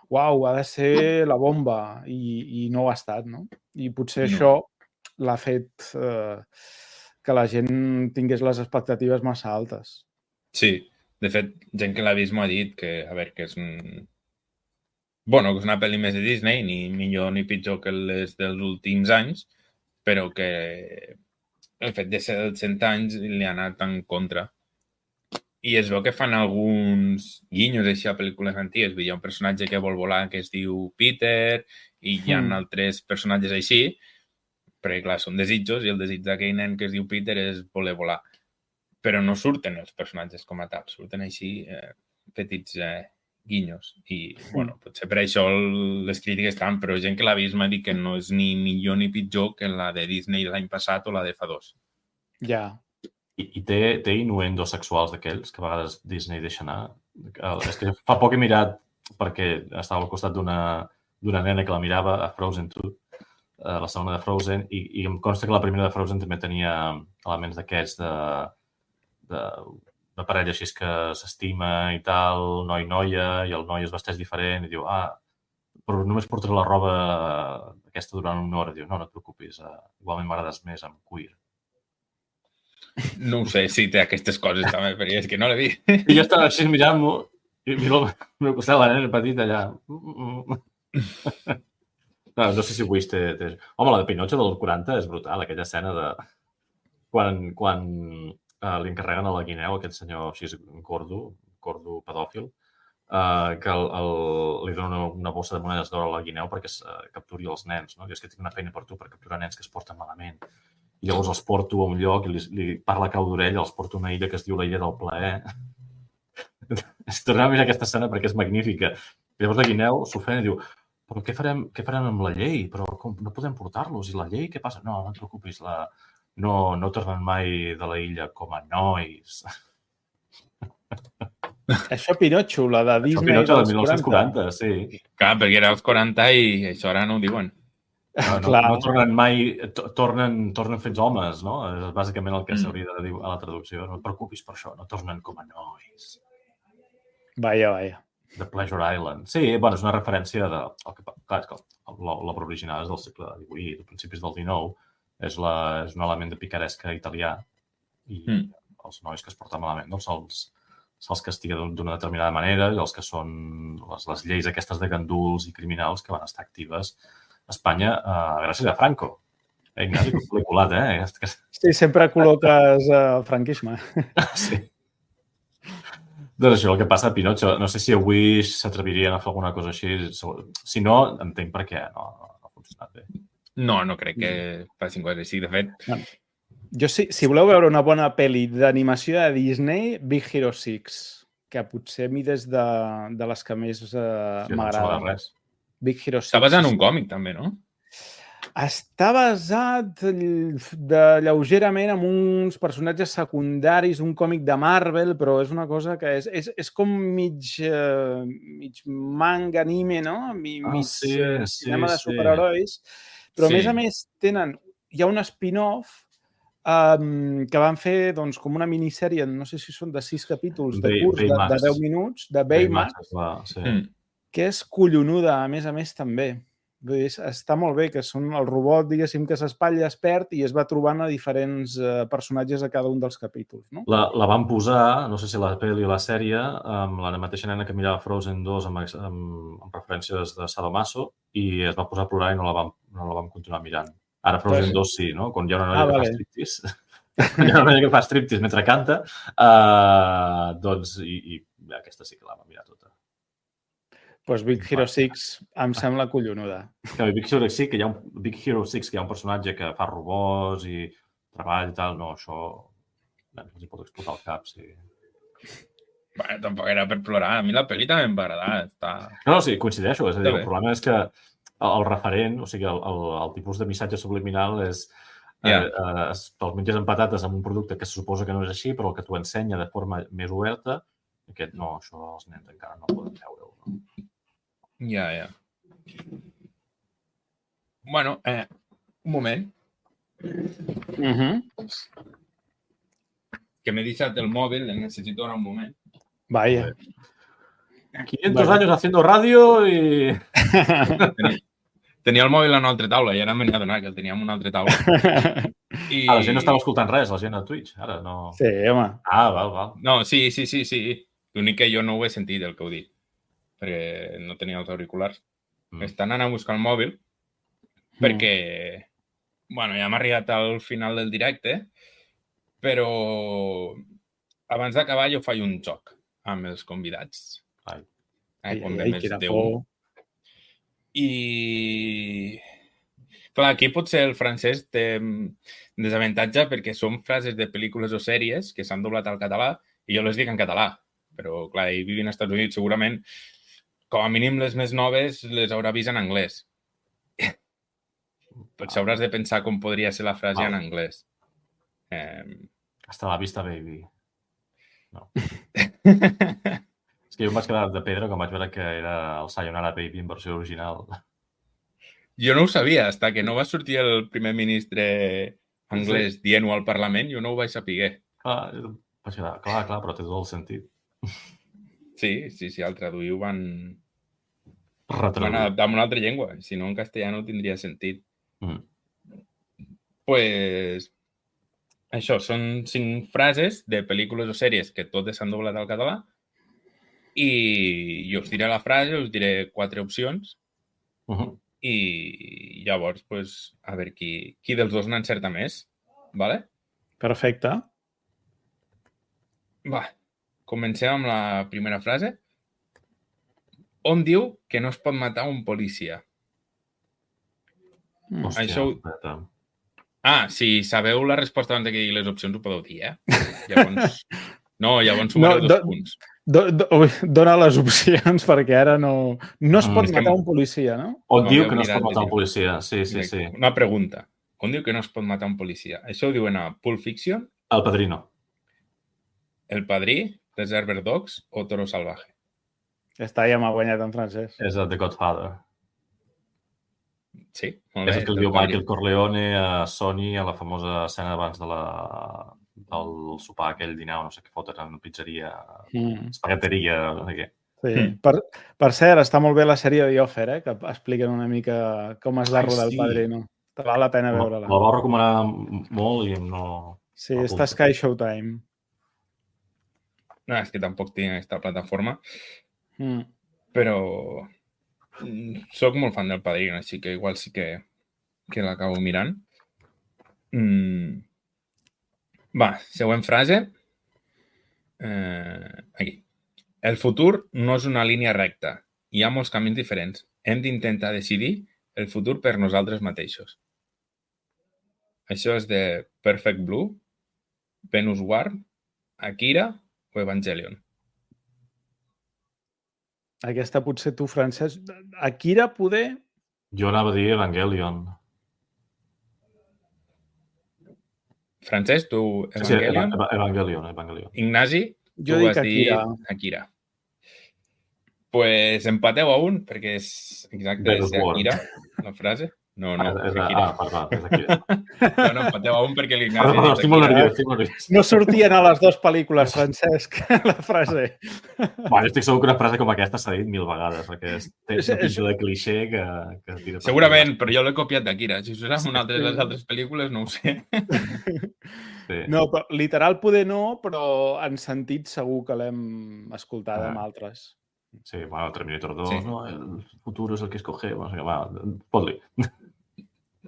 Uau, ha de ser la bomba. I no ho ha estat, no? I potser això l'ha fet que la gent tingués les expectatives massa altes. Sí, de fet, gent que l'ha vist m'ha dit que, a veure, que és Bueno, que és una pel·li més de Disney, ni millor ni pitjor que les dels últims anys, però que el fet de ser dels 100 anys li ha anat en contra. I es veu que fan alguns guinyos així a pel·lícules antigues. Hi ha un personatge que vol volar que es diu Peter i hi ha altres personatges així, perquè, clar, són desitjos i el desig d'aquell nen que es diu Peter és voler volar. Però no surten els personatges com a tal, surten així petits guinyos. I, bueno, potser per això les crítiques estan, però gent que l'ha vist m'ha dit que no és ni millor ni pitjor que la de Disney l'any passat o la de fa 2. Ja. I té innuendos sexuals d'aquells que a vegades Disney deixa anar. És que fa poc he mirat, perquè estava al costat d'una nena que la mirava a Frozen 2, la segona de Frozen, i em consta que la primera de Frozen també tenia elements d'aquests de parella així que s'estima i tal, noi-noia, i el noi es vesteix diferent i diu, però només portaré la roba aquesta durant una hora. Diu, no et preocupis, igualment m'agrades més amb cuir. No ho sé si té aquestes coses també, perquè és que no l'he vist. I jo estava així mirant-m'ho i miro al meu costat la nena petita allà. No sé si ho vist. Home, la de Pinocho del 40 és brutal, aquella escena de quan li encarreguen a la guineu, aquest senyor així gordo pedòfil, que li dona una bossa de monedes d'or a la guineu perquè capturi els nens. No? Diu, és que tinc una feina per tu, per capturar nens que es porten malament. I llavors els porto a un lloc i li parla a cau d'orella, els porto a una illa que es diu la illa del plaer. Es torna a mirar aquesta escena perquè és magnífica. I llavors la guineu s'ofèn i diu, però què farem amb la llei? Però no podem portar-los. I la llei, què passa? No et preocupis, no tornen mai de la illa com a nois. Això Pinocho, la de Disney dels 1940, sí. Clar, perquè era als 40 i això ara no ho diuen. No tornen mai, tornen fets homes, no? És bàsicament el que s'hauria de dir a la traducció. No et preocupis per això, no tornen com a nois. Vaja. The Pleasure Island. Sí, bueno, és una referència de... Clar, és que l'obra original és del segle XVIII, de principis del XIX. És un element de picaresca italià i els nois que es porten malament doncs se'ls castiga d'una determinada manera i els que són les lleis aquestes de ganduls i criminals que van estar actives a Espanya gràcies a Franco. Ignasi, que l'he colat, Sí, sempre col·loques el franquisme. Sí. Doncs això, el que passa a Pinocho. No sé si avui s'atrevirien a fer alguna cosa així. Si no, entenc per què no ha funcionat bé. No crec que facin coses així. De fet... Jo, si voleu veure una bona pel·li d'animació de Disney, Big Hero 6, que potser a mi des de les que més m'agrada. Big Hero 6. Està basat en un còmic, també, no? Està basat lleugerament en uns personatges secundaris d'un còmic de Marvel, però és una cosa que és com mig manga, anime, no? Mig cinema de superherois. Però, a més, hi ha un spin-off que van fer com una minissèrie, no sé si són de 6 capítols de curs de 10 minuts, de Baymax, que és collonuda, a més també. Està molt bé, que són el robot, diguéssim, que s'espatlla, es perd i es va trobant a diferents personatges a cada un dels capítols. No? La van posar, no sé si la pel·li o la sèrie, amb la mateixa nena que mirava Frozen 2 amb referències de Sadomaso i es va posar a plorar i no la vam continuar mirant. Ara Frozen 2 sí, no? Quan hi ha una noia que fa striptease. Quan hi ha una noia que fa striptease mentre canta, doncs, i aquesta sí que la va mirar tota. Doncs Big Hero 6 em sembla collonuda. Big Hero 6, que hi ha un personatge que fa robots i treball i tal, no, això els hi pot explotar el cap, sí. Bueno, tampoc era per plorar. A mi la pel·li també em va agradar. No, sí, coincideixo. És a dir, el problema és que el referent, o sigui, el tipus de missatge subliminal és te'ls menges amb patates amb un producte que se suposa que no és així, però el que t'ho ensenya de forma més oberta, aquest no, això els nens encara no poden veure-ho. No? Ja. Bueno, un moment. Que m'he deixat el mòbil, el necessito ara un moment. Vaya. 500 años haciendo radio y... Tenia el mòbil a una altra taula i ara m'he adonat que el tenia en una altra taula. La gent no estava escoltant res, la gent a Twitch, ara no... Sí, home. Val. No, sí. L'únic que jo no ho he sentit, el que heu dit, perquè no tenia els auriculars. Estan anant a buscar el mòbil perquè, bueno, ja hem arribat al final del directe, però abans d'acabar jo faig un joc amb els convidats. Com de més d'un. I, clar, aquí potser el francès té desavantatge perquè són frases de pel·lícules o sèries que s'han doblat al català i jo les dic en català. Però, clar, ell vivint als Estats Units segurament, com a mínim les més noves, les haurà vist en anglès. Potser hauràs de pensar com podria ser la frase en anglès. Hasta la vista, baby. No. És que jo em vaig quedar de pedra quan vaig veure que era el Sayonara Baby en versió original. Jo no ho sabia, fins que no va sortir el primer ministre anglès dient-ho al Parlament, jo no ho vaig saber. Clar, però té tot el sentit. Sí, al traduir van adaptar en una altra llengua. Si no, en castellà no tindria sentit. Pues això, són 5 frases de pel·lícules o sèries que totes s'han doblat al català i jo us diré la frase, us diré 4 opcions i llavors, pues, a veure qui dels dos n'encerta més. Vale? Perfecte. Va, comencem amb la primera frase. On diu que no es pot matar un policia? Hòstia, si sabeu la resposta abans que digui les opcions, ho podeu dir, Llavors sumareu 2 punts. Dona les opcions, perquè ara no es pot matar un policia, no? On diu que no es pot matar un policia, sí. Una pregunta. On diu que no es pot matar un policia? Això ho diuen a Pulp Fiction? El Padrino. El Padrí, Reservoir Dogs o Toro Salvaje? Està ja m'ha guanyat en francès. És el The Godfather. Sí, molt bé. És el que el diu Michael Corleone a Sony a la famosa escena abans del sopar aquell dinar, no sé què foten en una pizzeria, espagueteria, no sé què. Sí. Per cert, està molt bé la sèrie de The Offer, que expliquen una mica com es va rodar el Padrino. Te val la pena veure-la. La vau recomanar molt i no... Sí, està a Sky Showtime. No, és que tampoc tinc aquesta plataforma, Mm. però soc molt fan del Padrino, així que igual sí que l'acabo mirant. Va, següent frase. Aquí. El futur no és una línia recta. Hi ha molts camins diferents. Hem d'intentar decidir el futur per nosaltres mateixos. Això és de Perfect Blue, Venus War, Akira o Evangelion. Aquesta potser tu, Francesc. Akira, poder? Jo anava a dir Evangelion. Francesc, tu Evangelion? Sí, Evangelion. Ignasi, Jo tu dic has Akira. dit Akira. Pues empateu a un, perquè és exacte, és Akira, la frase. No, és Akira. És Akira. No, empateu a un perquè l'Ignasi ha dit Estic molt Akira. nerviós. No sortien a les dues pel·lícules, Francesc, la frase. Bueno, estic segur que una frase com aquesta s'ha dit 1000 vegades, perquè té una pinta de clixé que tira per Segurament, però jo l'he copiat d'Akira. Si us en una de les altres pel·lícules, no ho sé. Sí. No, però, literal poder no, però en sentit segur que l'hem escoltat amb altres. Sí, bueno, Terminator 2, Sí. no? El futuro es el que escogemos. Va, pot-li.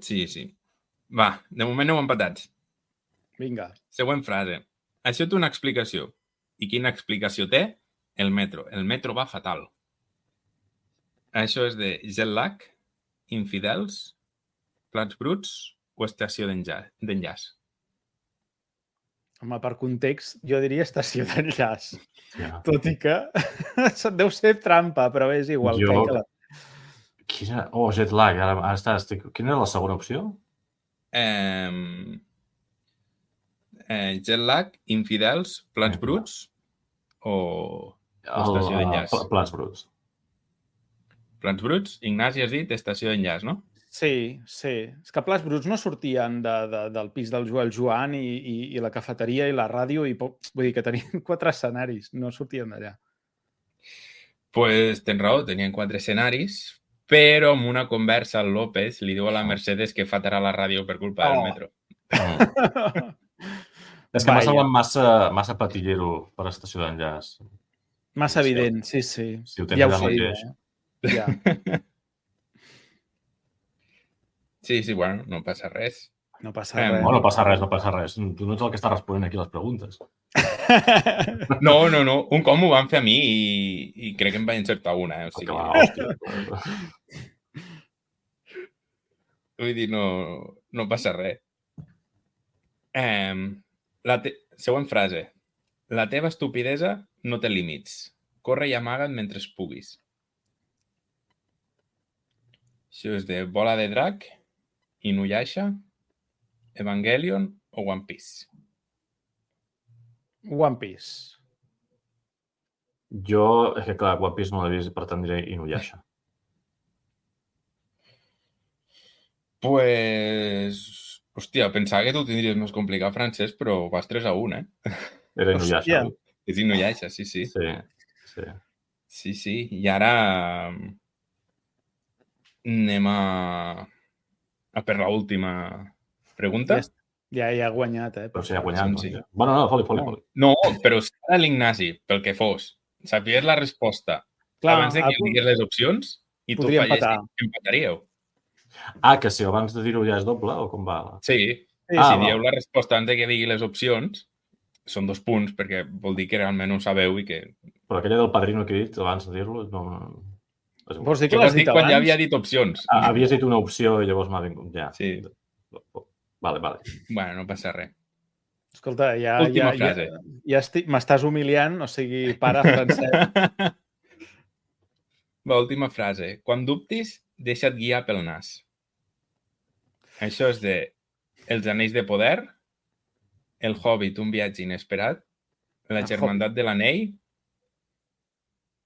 Sí. Va, de moment heu empatats. Vinga. Següent frase. Això té una explicació. I quina explicació té? El metro. El metro va fatal. Això és de jet lag, infidels, plats bruts o estació d'enllaç. Home, per context, jo diria estació d'enllaç. Ja. Tot i que deu ser trampa, però és igual. Jo- Quina... Oh, jet lag. Ara estic... Quina era la segona opció? Jet lag, infidels, plats bruts o estació d'enllaç. Plats bruts. Plats bruts, Ignasi has dit estació d'enllaç, no? Sí. És que Plats Bruts no sortien del pis del Joan i la cafeteria i la ràdio i vull dir que tenien 4 escenaris, no sortien d'allà. Pues tens raó, tenien 4 escenaris, però amb una conversa al López li diu a la Mercedes que fatarà la ràdio per culpa del metro. És que m'ha semblat massa patillero per a estació d'enllaç. Massa evident, sí. Si ho tens allà mateix. Ja. Sí, bueno, no passa res. No passa res. No passa res. Tu no ets el que està responent aquí les preguntes. No. Un com ho van fer a mi i crec que em vaig encertar una. O sigui, Hòstia. vull dir, no passa res. Següent frase. La teva estupidesa no té límits. Corre i amaga't mentre puguis. Això és de Bola de Drac, Inuyasha, Evangelion o One Piece. One Piece. Jo, és que clar, One Piece no l'he vist, per tant diré Inuyasha. Pues... Hòstia, pensava que tu ho tindries més complicat, Francesc, però vas 3-1, Era Inuyasha. Hòstia. És Inuyasha, sí. Sí. I ara anem a per l'última pregunta. Ja ha guanyat, Però sí, ha guanyat. Sí. Bueno, no, foli. No, però si ara l'Ignasi, pel que fos, sapies la resposta abans de que digués les opcions i tu fallessis, empataríeu. Que si abans de dir-ho ja és doble o com va? Sí. Si dieu la resposta abans de que digui les opcions, són 2 punts, perquè vol dir que realment ho sabeu i que... Però aquella del padrino que he dit abans de dir-lo, no... Vols dir que l'has dit abans? Quan ja havia dit opcions. Havies dit una opció i llavors m'ha vingut, ja. Sí. Vale. Bueno, no passa res. Escolta, Última frase. M'estàs humiliant, o sigui, para, Francesc. Va, última frase. Quan dubtis, deixa't guiar pel nas. Això és de Els anells de poder, El Hobbit, un viatge inesperat, La germandat de l'anell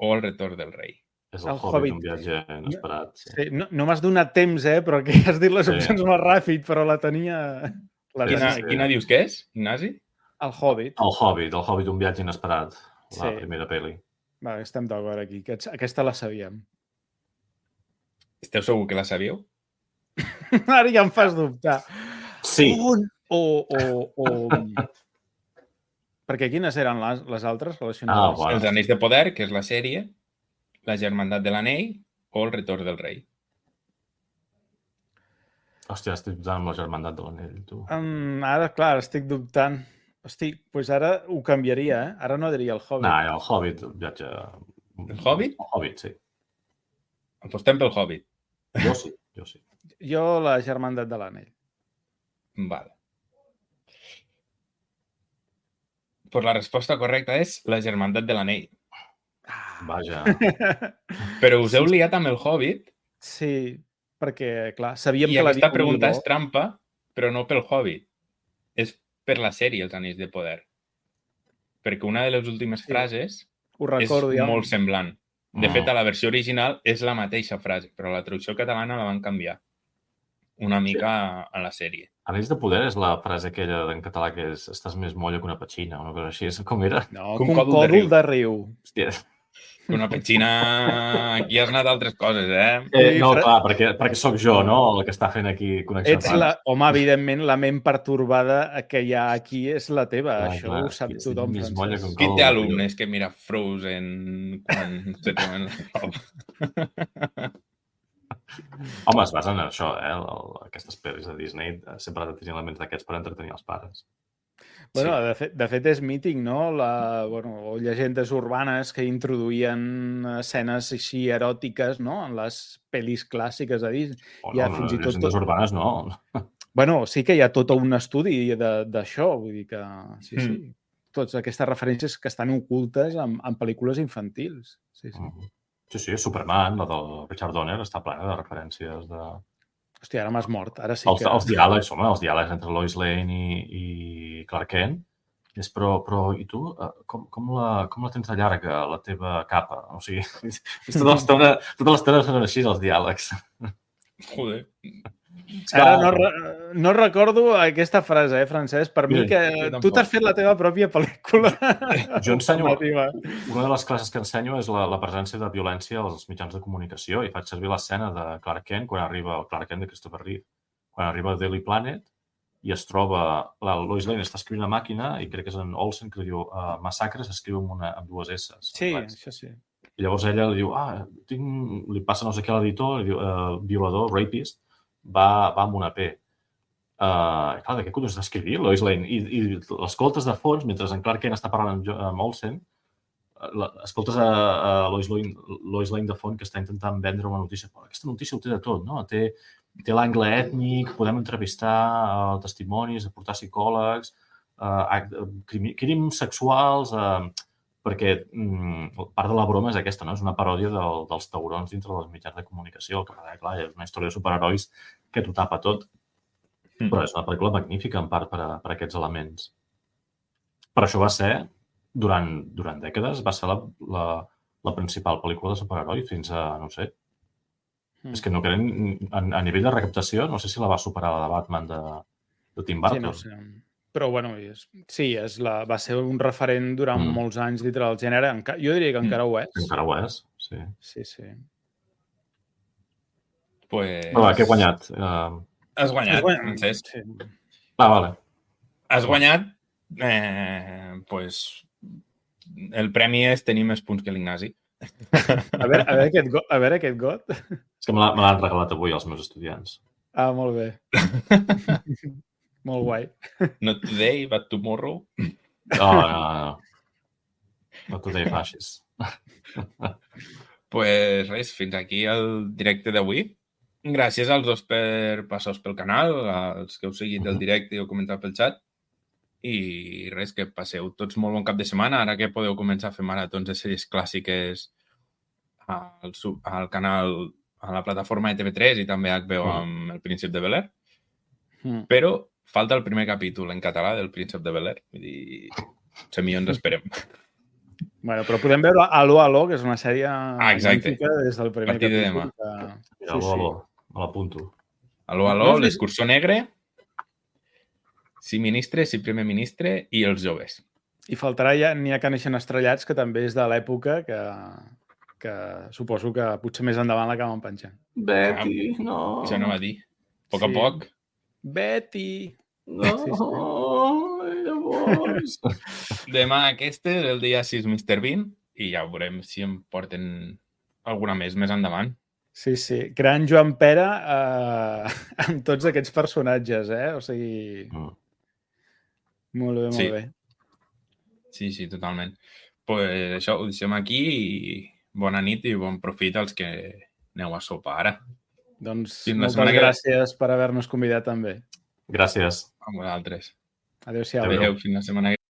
o El retorn del rei. És el Hobbit, un viatge inesperat. Sí. No m'has donat temps, però que has dit les opcions molt ràpid, però la tenia... Quina dius que és, Ignasi? El Hobbit. El Hobbit, un viatge inesperat. La primera pel·li. Va, estem d'acord aquí. Aquesta la sabíem. Esteu segur que la sabíeu? Ara ja em fas dubtar. Sí. Perquè quines eren les altres relacionades? Bueno. Els Anells de Poder, que és la sèrie, la Germandat de l'Anell o el Retorn del Rei. Hòstia, estic dubtant amb la Germandat de l'Anell, tu. Ara, clar, estic dubtant. Hosti, doncs ara ho canviaria, eh? Ara no diria el Hobbit. No, el Hobbit, viatge... El Hobbit? El Hobbit, sí. Apostem pel Hobbit. Jo sí. Jo la Germandat de l'Anell. Vale. Pues la resposta correcta és la Germandat de l'Anell. Vaja. Però us heu liat amb el Hobbit. Sí, perquè, clar, sabíem I que la aquesta pregunta és trampa, però no pel Hobbit. És per la sèrie Els Anells de Poder. Perquè una de les últimes frases és molt semblant. De fet, a la versió original és la mateixa frase, però a la traducció catalana la van canviar una mica a la sèrie. Anells de Poder és la frase aquella en català que és estàs més molla que una petxina, una cosa així. Com era? No, que un còdol de riu. Hòstia. Que una petxina... Aquí has anat altres coses, No, clar, perquè sóc jo, no? El que està fent aquí connexions. Home, evidentment, la ment pertorbada que hi ha aquí és la teva. Això ho sap tothom, Francesc. Qui té alumnes que mira Frozen quan se troben la roba? Home, es basen en això, aquestes pel·lis de Disney sempre han de tenir elements d'aquests per entretenir els pares. Bueno, de fet és mític, no? O llegendes urbanes que introduïen escenes així eròtiques, no? En les pel·lis clàssiques de Disney. Llegendes urbanes no. Bueno, sí que hi ha tot un estudi d'això, vull dir que sí. Totes aquestes referències que estan ocultes en pel·lícules infantils. Sí, Superman, la del Richard Donner, està plena de referències de... Hòstia, ara m'has mort. Ara sí que... Els diàlegs entre Lois Lane i Clark Kent. Però i tu, com la tens de llarga, la teva capa? O sigui, tota l'estona són així, els diàlegs. Joder. Ara no recordo aquesta frase, Francesc. Per mi que tu t'has fet la teva pròpia pel·lícula. Jo ensenyo... Una de les classes que ensenyo és la presència de violència als mitjans de comunicació i faig servir l'escena de Clark Kent quan arriba el Clark Kent de Christopher Reeve. Quan arriba a Daily Planet i es troba... La Lois Lane està escrivint a màquina i crec que és en Olsen que diu massacre s'escriu amb dues S. Sí, això sí. I llavors ella li diu, li passa no sé què a l'editor, li diu, violador, rapist, va amb una P. Clar, de què collons està escrivint Lois Lane? I l'escoltes de fons, mentre en Clark Kent està parlant amb Olsen, escoltes a Lois Lane de fons que està intentant vendre una notícia. Aquesta notícia ho té de tot, no? Té l'angle ètnic, podem entrevistar testimonis, aportar psicòlegs, crims sexuals, perquè part de la broma és aquesta, no? És una paròdia dels taurons dintre dels mitjans de comunicació. El que passa, clar, és una història de superherois que t'ho tapa tot. Però és una pel·lícula magnífica, en part, per aquests elements. Per això va ser, durant dècades, va ser la principal pel·lícula de superherois fins a, no sé... És que no creen... A nivell de recaptació, no sé si la va superar la de Batman de Tim Burton. Sí, no sé. Però, bueno, sí, va ser un referent durant molts anys dintre del gènere. Jo diria que encara ho és. Encara ho és, sí. Sí. Pues... Però què he guanyat? Has guanyat, Francesc. Sí. Vale. Has guanyat, pues... El premi és tenir més punts que l'Ignasi. A veure aquest got. És que me l'han regalat avui els meus estudiants. Ah, molt bé. Molt guai. Not today, but tomorrow. No. Not today, fascist. Pues res, fins aquí el directe d'avui. Gràcies als dos per passar pel canal, als que heu seguit el directe i heu comentat pel xat. I res, que passeu tots molt bon cap de setmana, ara que podeu començar a fer maratons de sèries clàssiques al canal, a la plataforma de TV3 i també HBO amb El Príncep de Bel-Air. Però falta el primer capítol en català del Príncep de Bel-Air. Vull dir, millor ens esperem. Bueno, però podem veure Aló, que és una sèrie magnífica des del primer capítol. Aló, me l'apunto. Aló, l'Escurçó Negre, Si ministre, Si primer ministre i Els joves. I faltarà ja N'hi ha que neixen estrellats, que també és de l'època que suposo que potser més endavant l'acaben penjant. Betty, no. Això no va dir. A poc. Betty. No, Collons! Demà aquest és el dia 6 Mr. Bean i ja veurem si em porten alguna més endavant. Sí, sí. Gran Joan Pere amb tots aquests personatges, O sigui... Molt bé, molt bé. Sí, totalment. Pues això, ho deixem aquí i bona nit i bon profit als que aneu a sopar ara. Doncs moltes gràcies per haver-nos convidat també. Gràcies. A vosaltres. Adéu-siau. Adéu, fins la setmana que